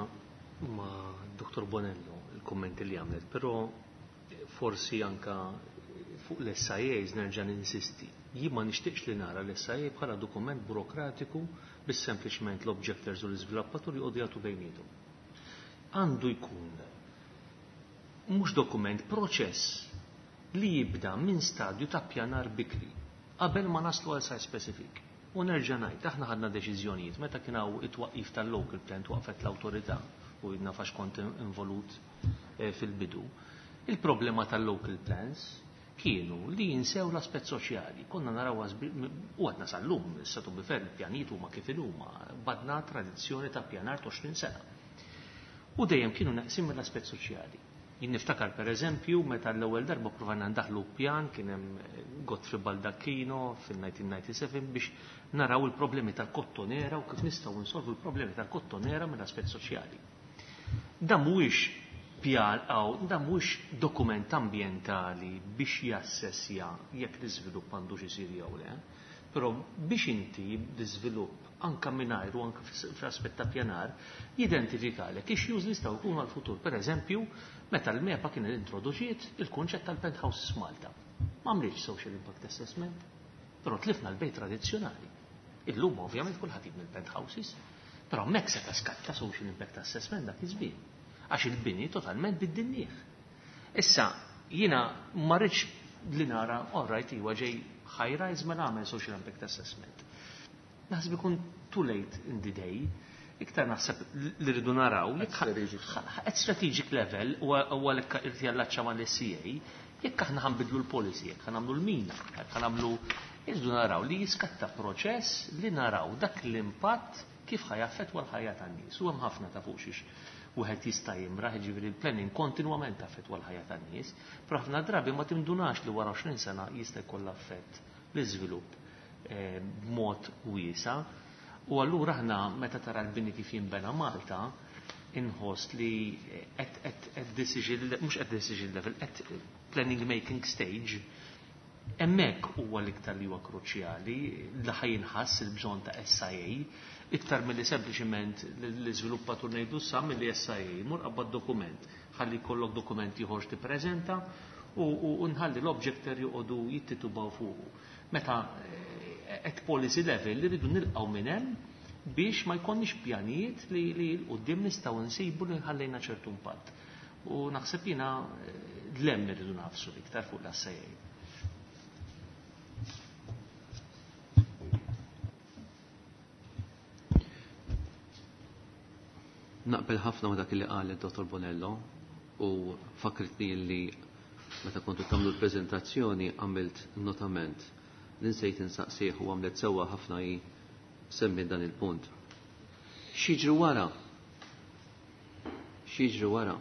ma' Dr. Bonello il-kommenti li għamlet, però forsi anka fuq l-SIAs nerġa' ninsisti. Jien ma nixtieqx li nara l-SIA bħala dokument burokratiku biex sempliċement l-objectors u l-iżviluppaturi jqogħdu jagħtu bejniethom. Għandu jkun mhux dokument, proċess li jibda minn stadju ta' pjanar bikri qabel ma naslu għal site specific. U nerġa' ngħid, aħna ħadna deċiżjonijiet meta kien hawn it-twaqqif tal-local plan twaqfet l-awtorità u nafax kont involut fil-bidu. Il-problema tal-local plans kienu li jinsew l-aspett soċjali. Konna naraw u għadna sal-lum, issa to be fair, il-pjanijiet huma kif huma, badna tradizzjoni ta' pjanar 20 sena. U dejjem kienu naqsim mill-aspett soċjali. Jien niftakar per eżempju meta l-ewwel darba provajna ndaħlu pjan kien hemm Godfrey Baldacchino fil-1997 biex naraw il-problemi tal-kottonera u kif nistgħu nsolvu l-problemi tal-kottonera mill-aspett soċjali. Dan mhuwiex pjan għaw, dan mhuwiex dokument ambjentali biex jassessja jekk l-iżvilupp għandux isir jew le, però biex inti l-iżvilupp anka mingħajr u anka fl-aspett ta' pjanar jidentifikalek issues li jistgħu jkunu għall-futur. Per eżempju, meta l-MEPA kien introduċiet il-kunċett tal-penthouses Malta. Ma għamlitx social impact assessment, però tlifna l-bejt tradizzjonali. Illum ovvjament kulħadd jibni l-penthouses, però hemmhekk seta' skatta social impact assessment dak iż-żmien. Għax il-bini totalment biddinnieh. Issa, jiena ma rridx li nara, all right, iwa ġej high rise mela għamel social impact assessment. Naħseb ikun too late in the day, iktar naħseb li rridu naraw, at strategic level, u għalhekk irid jallaċċa mal-SCA, jekk aħna ħanbidlu l-policy, jekk ħanamlu l-mina, jekk ħanamlu, irridu naraw li jiskatta proċess li naraw dak l-impatt kif ħa jaffettwa l-ħajja tan-nies. U hemm ħafna ta' fuq xiex wieħed jista' jimraħ, jiġifieri l-planning kontinwament taffettwa l-ħajja tan-nies, però ħafna drabi ma tindunax li wara 20 sena jista' jkollha effett l-iżvilupp b'mod wiesa. U allura aħna meta tara l-bini kif jinbena Malta, inħoss li at decision, mhux at decision level, at planning making stage, hemmhekk huwa l-iktar li huwa kruċjali li ħa jinħass il-bżonn ta' SIA, iktar milli sempliċiment l-iżviluppatur ngħidu sa milli SIA mur qabad dokument, ħalli jkollok dokument ieħor tippreżenta u nħalli l-objector joqogħdu jittitubaw fuqu. Meta at policy level li rridu nilqgħu minn hemm biex ma jkollniex pjanijiet li l-qudiem nistgħu nsibu li nħallejna ċertu impatt. U naħseb jiena l-hemm irridu nafsu iktar fuq l-SIA. Naqbel ħafna ma dak li qal id-Dottor Bonello u fakritni li meta kontu tagħmlu l-preżentazzjoni għamilt notament li nsejt insaqsih u għamlet sewwa ħafna hi semmi dan il-punt. X'jiġri wara? X'jiġri wara?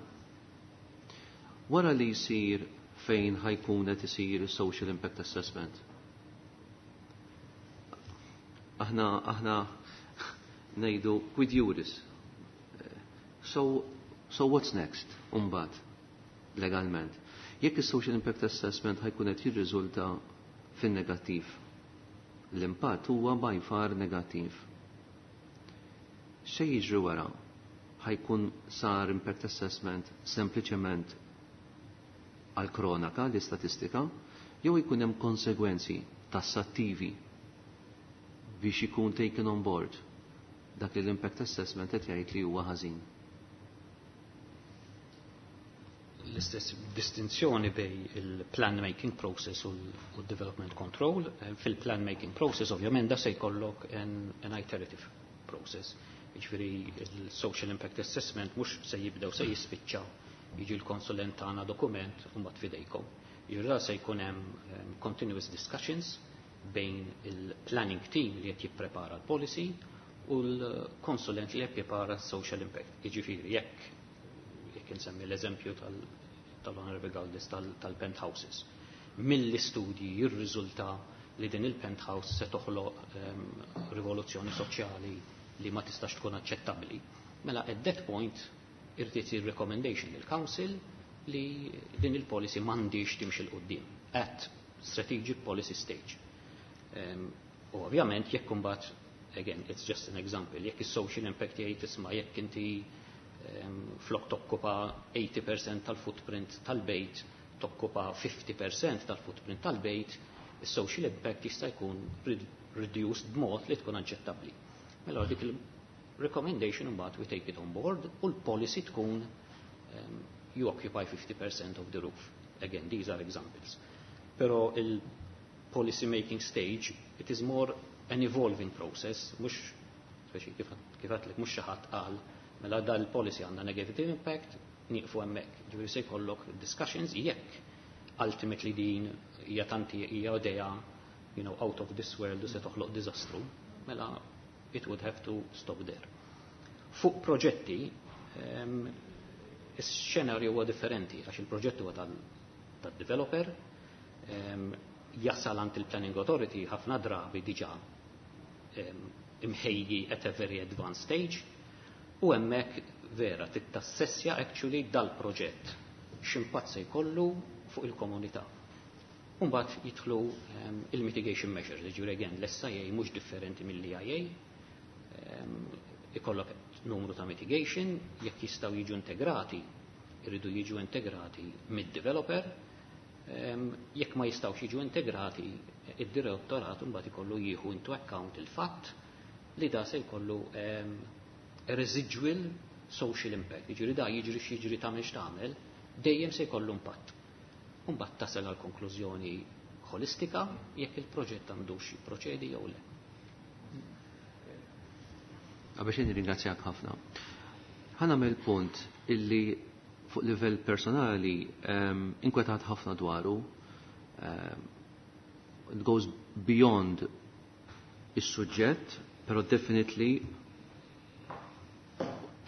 Wara li jsir fejn ħajkun qed isir social impact assessment. Aħna ngħidu quid juris. So what's next? Umbagħad legalment. Jekk is-social impact assessment ħajkun qed jirriżulta fin-negattiv. L-impatt huwa by far negattiv. Xejn jiġri wara? Ħajkun sar impact assessment sempliċement għal kronaka, l-istatistika, jew jkun hemm konsegwenzi tassattivi biex ikun taken on board dak li l-impact assessment qed jgħid li huwa ħażin. L-istess distinzjoni bej il-plan making process u l-development control. Fil-plan making process ovvjament da se jkollok an iterative process. Jiġifieri il-social impact assessment mhux se jibdew se jispiċċa jiġi l-konsulent tagħna dokument u mbagħad fidejkom. Jiġifieri da se jkun hemm continuous discussions bejn il-planning team li qed jipprepara l-policy u l-konsulent li qed jipprepara social impact. Jiġifieri jekk insemmi l-eżempju tal-Honorable Galdes tal-penthouses. Mill-istudji jirriżulta li din il-penthouse se toħloq rivoluzzjoni soċjali li ma tistax tkun aċċettabbli. Mela at that point irid isir recommendation lill council li din il-policy m'għandix timxi 'l quddiem at strategic policy stage. U ovvjament jekk imbagħad, again, it's just an example, jekk is-social impact jgħid, isma', jekk inti flok tokkupa 80% tal-footprint tal-bejt, tokkupa 50% tal-footprint tal-bejt, is-social impact jista' jkun reduced b'mod li tkun aċċettabbli. Mela dik il-recommendation imbagħad we take it on board u l-policy tkun you occupy 50% of the roof. Again, these are examples. Però il-policy making stage, it is more an evolving process, mhux speċi kif għedtlek, mhux xi ħadd qal, mela dal-policy għandha negative impact, nieqfu hemmhekk. Ġifieri se jkollok discussions jekk ultimately din hija tanti hija idea out of this world u se toħloq diżastru, mela it would have to stop there. Fuq proġetti, is-xenarju huwa differenti għax il-proġett huwa tal-developer, jasal għand il-Planning Authority ħafna drabi diġà imħejji at a very advanced stage u hemmhekk vera tittassessja actually dal-proġett x'impatt se jkollu fuq il-komunità. Umbagħad jidħlu il-mitigation measures, ġifieri again l-SIA mhux differenti mill-EIA, ikollok numru ta' mitigation, jekk jistgħu jiġu integrati, irridu jiġu integrati mid-developer, jekk ma jistgħux jiġu integrati, id-direttorat mbagħad ikollu jieħu into account il-fatt li da se jkollu residual social impact. Jiġri da jiġri x'jiġri, tagħmel x'tagħmel, dejjem se jkollu impatt. Mbagħad tasal għal konklużjoni holistika jekk il-proġett għandux jipproċedi jew le. Għabaxin ringrazzjak ħafna. Ħa nagħmel punt illi fuq livell personali inkwetat ħafna dwaru. It goes beyond is-suġġett, pero definitely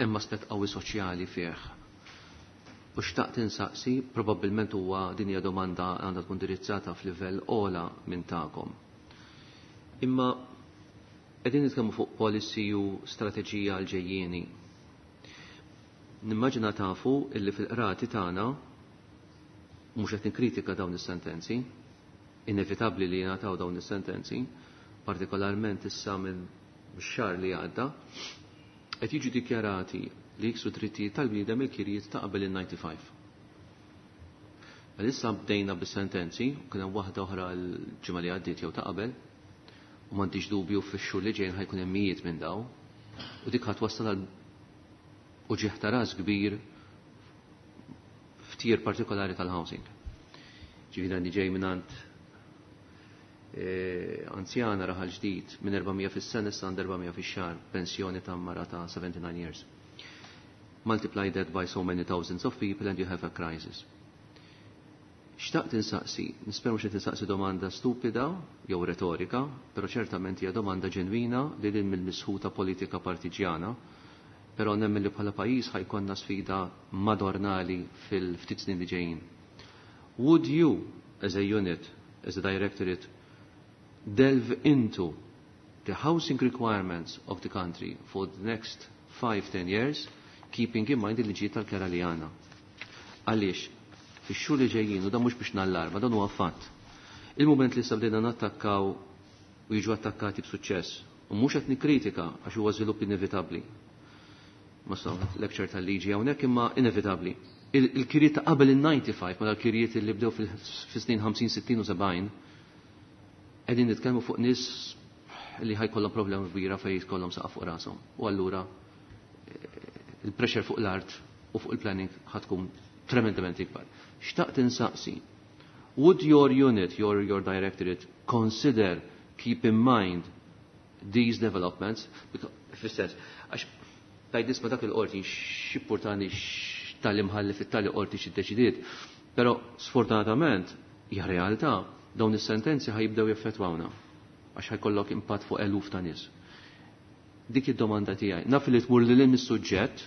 hemm aspett qawwi soċjali fih. U xtaqt insaqsi, probabbilment huwa din hija domanda għandha tkun indirizzata f'livell ogħla minn tagħkom. Imma qegħdin nitkellmu fuq policy u strateġija għal ġejjieni. Nimmaġina tafu illi fil-qrati tagħna, mhux qed nikkritika dawn is-sentenzi, inevitabbli li jingħataw dawn is-sentenzi, partikolarment issa minn xahar li għadda, qed jiġu dikjarati li jiksu drittijiet tal-bniedem il-kirjiet ta' qabel il-95. Issa bdejna bis-sentenzi, u kien hemm waħda oħra l-ġimgħa li għaddiet jew ta' qabel, u m'għandix dubju fix-xhur li ġejjin ħa jkun hemm mijiet minn daw, u dik ħa twassal għal uġigħ ta' ras kbir f'tier partikolari tal-housing. Ġifieri għandi ġej mingħand anzjana Raħal Ġdid, minn 400 fis-sena issa għand 400 fix-xahar, pensjoni ta' mara ta' 79 years. Multiply that by so many thousands of people and you have a crisis. Xtaqt insaqsi, nispera mhux insaqsi domanda stupida jew retorika, però ċertament hija domanda ġenwina li lil mill-misħuta politika partiġjana, però nemmen li bħala pajjiż ħa jkollna sfida madornali fil-ftit snin li ġejjin. Would you, as a unit, as a directorate, delve into the housing requirements of the country for the next 5-10 years, keeping in mind il-liġijiet tal-kera li għandna? Għaliex, fix-xhur li ġejjin, u dan mhux biex nallarma, dan huwa fatt. Il-moment li sabdejna nattakkaw u jiġu attakkati b'suċċess, u mhux qed nikkritika għax huwa żvilupp inevitabbli. Ma sa lecture tal-liġi hawnhekk, imma inevitabbli. Il-kirijiet ta' qabel il-95, ma l-kirijiet li bdew fis-snin 50, 60 u 70, qegħdin nitkellmu fuq nies li ħa jkollhom problema kbira fejn jkollhom saqaf fuq rashom. U allura il-pressure fuq l-art u fuq il-planning ħa tkun tremendament ikbar. Xtaqt insaqsi, would your unit, your directorate, consider, keep in mind these developments? Fis-sens, għax tgħid, isma', dak il-qorti x'jimpurtani tal-imħallef fit-tali qorti x'iddeċidiet, però sfortunatament hija realtà, dawn is-sentenzi ħa jibdew jaffettwawna għax ħa jkollok impatt fuq eluf ta' nies. Dik id-domanda tiegħi. Naf li tmur lil is-suġġett,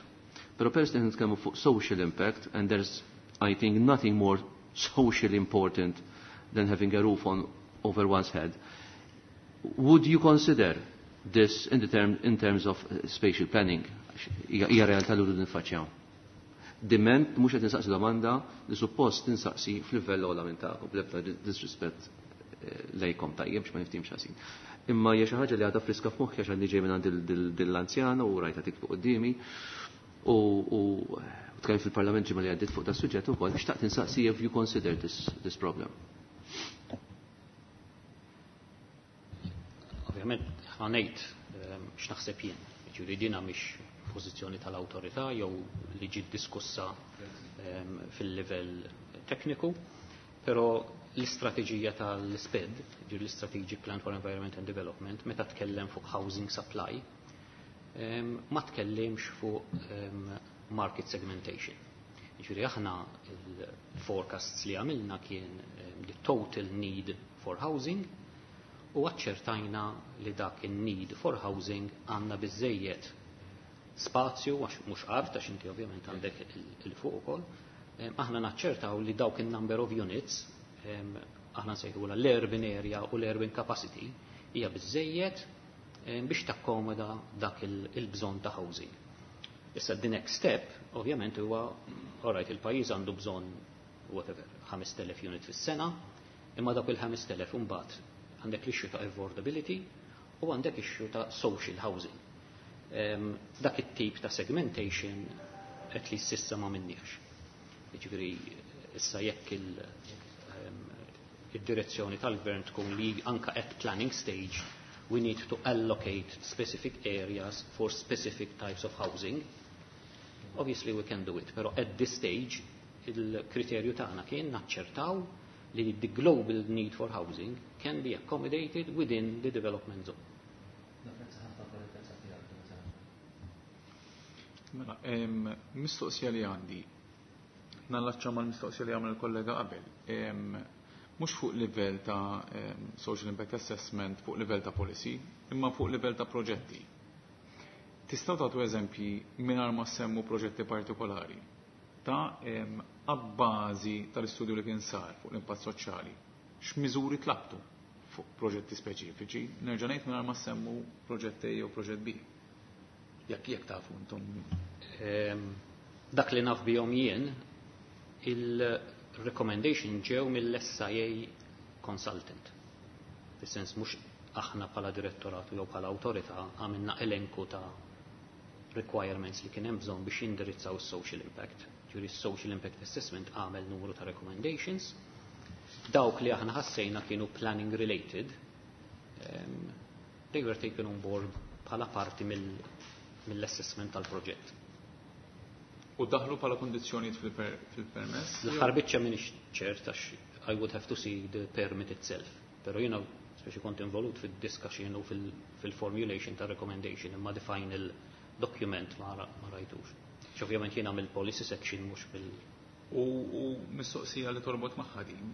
però peress li nitkellmu fuq social impact and there's I think nothing more socially important than having a roof on over one's head. Would you consider this in, the term, in terms of spatial planning? Hija realtà li rridu niffaċċjaw. Diment mhux qed insaqsi domanda li suppost tinsaqsi f'livell ogħla minn tagħkom, bl-ebda disrispett lejkom tajjeb biex ma niftimx ħażin. Imma hija xi ħaġa li għadha friska f'moħħi għax għandi ġej minn għand l-anzjana u rajta tikbu quddiemi u tkellem fil-Parlament ġimgħa li għaddiet fuq da suġġett ukoll xtaqt insaqsi if you consider this problem. Ovvjament ħa ngħid x'naħseb jien. Ġifieri dina mhix pożizzjoni tal-awtorità jew li ġiet diskussa fil-livell tekniku, però l-istrateġija tal-SPED, ġifieri l-Strategic Plan for Environment and Development, meta tkellem fuq housing supply, ma tkellimx fuq market segmentation. Ġifieri aħna il-forecasts li għamilna kien the total need for housing u aċċertajna li dak il-need for housing għandna biżejjed spazju, għax mhux art, għax inti ovvjament għandek il-fuq ukoll, aħna naċċertaw li dawk il-number of units, aħna nsejħula l-urban area u l-urban capacity, hija biżejjed biex takkomoda dak il-bżonn ta' housing. Issa the next step, ovvjament huwa, alright, il-pajjiż għandu bżonn whatever, 5,000 unit fis-sena, imma dak il-5,000 imbagħad għandek l-issue ta' affordability u għandek issue ta' social housing. Dak it-tip ta' segmentation at least s'issa ma minniex. Jiġifieri issa jekk il-direzzjoni tal-gvern tkun li anka at planning stage we need to allocate specific areas for specific types of housing. Obviously we can do it, pero at this stage il-kriterju tagħna kien naċċertaw li the global need for housing can be accommodated within the development zone. Mela, mistoqsija li għandi, nallaċċa mal-mistoqsija li għamel il-kollega qabel. Mhux fuq livell ta' social impact assessment, fuq livell ta' policy, imma fuq livell ta' proġetti. Tistgħu tagħtu eżempji mingħajr ma semmu proġetti partikolari ta' abbażi tal-istudju li kien sar fuq l-impatt soċjali. X'miżuri tlabtu fuq proġetti speċifiċi, nerġa' ngħid mingħajr ma semmu proġett A jew proġett B. Jekk tafu intom. Dak li naf bihom jien, il-recommendation ġew mill-SIA consultant. Fis-sens mhux aħna bħala direttorat jew bħala awtorità għamilna elenku ta' requirements li kien hemm bżonn biex jindirizzaw is-social impact. Ġifieri social impact assessment għamel numru ta' recommendations. Dawk li aħna ħassejna kienu planning related, they were taken on board bħala parti mill-assessment tal-proġett. U daħlu bħala kondizzjonijiet fil-permess? L-aħħar biċċa m'iniex ċert għax I would have to see the permit itself. Pero jiena speċi kont involut fil-discussion u fil-formulation ta' recommendation imma the final document ma rajtux. Ovvjament jiena mill-policy section mhux bil U mistoqsija li torbot magħha din,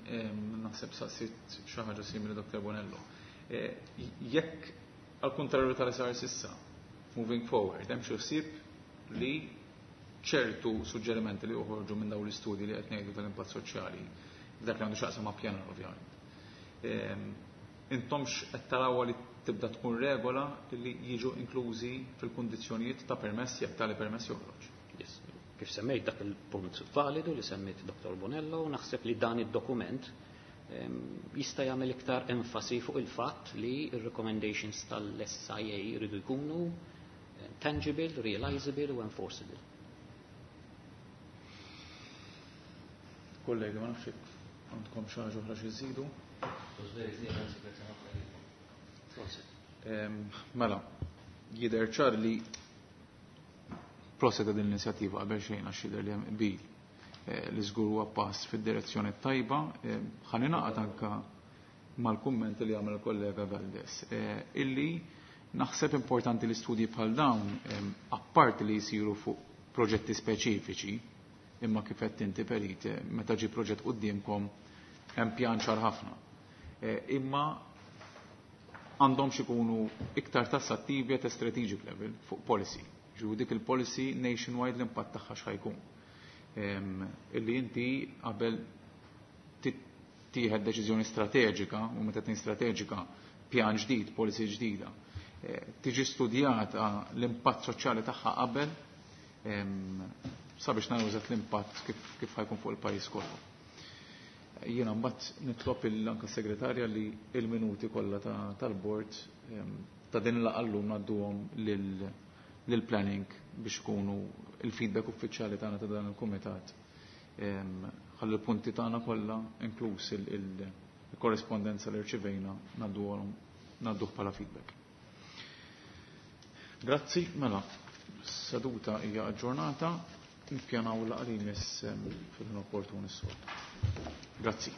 naħseb saqsit xi ħaġa simili Dr. Bonello. Jekk għal kontrarju tal-SR s'issa, moving forward, hemm xi ħsieb li ċertu suġġerimenti li uħorġu minn dawn l-istudji li qed ngħidu tal-impatt soċjali, dak li għandu x'jaqsam ma' pjanar ovvjament. Intomx qed tarawha li tibda tkun regola li jiġu inklużi fil-kundizzjonijiet ta' permess jekk tali permess joħroġ. Yes. Kif semmejt dak il-punt validu li semmejt Dr. Bonello, naħseb li dan id-dokument jista' jagħmel iktar enfasi fuq il-fatt li il-recommendations tal-SIA jridu jkunu tangible, realizable u enforceable. Kollegi, ma nafx jekk għandkom xi ħaġa oħra xi żidu. Mela, jidher ċar li proset din l-inizjattiva qabel xejn għax jidher li hemm qbil li żgur huwa pass fid-direzzjoni tajba. Ħa ningħaqad anka mal-kumment li għamel il-kollega Galdes illi naħseb importanti li studji bħal dawn apparti li jsiru fuq proġetti speċifiċi, imma kif qed inti perit, meta ġi proġett quddiemkom hemm pjan ċar ħafna. Imma għandhom ikunu iktar tassattivi at a strategic level fuq policy. Ġu dik il-policy nationwide l-impatt tagħha x'ħajkun. Illi inti qabel tieħed deċiżjoni strateġika u meta tnejn strateġika pjan ġdid, policy ġdida. Tiġi studjata l-impatt soċjali tagħha qabel sabiex naraw eżatt l-impatt kif ħajkun fuq il-pajjiż kollu. Jiena mbagħad nitlob anke segretarja li il-minuti kollha tal-bord ta' din il-laqgħa llum ngħadduhom lill-planning biex ikunu il-feedback uffiċjali tagħna ta' dan il-kumitat. Ħalli l-punti tagħna kollha inkluż il-korrespondenza li rċivejna ngħadduhom ngħadduh bħala feedback. Grazzi, mela, seduta hija aġġornata, nippjanaw laqgħa li jmiss fil-ħin opportun is-soltu. Grazzi.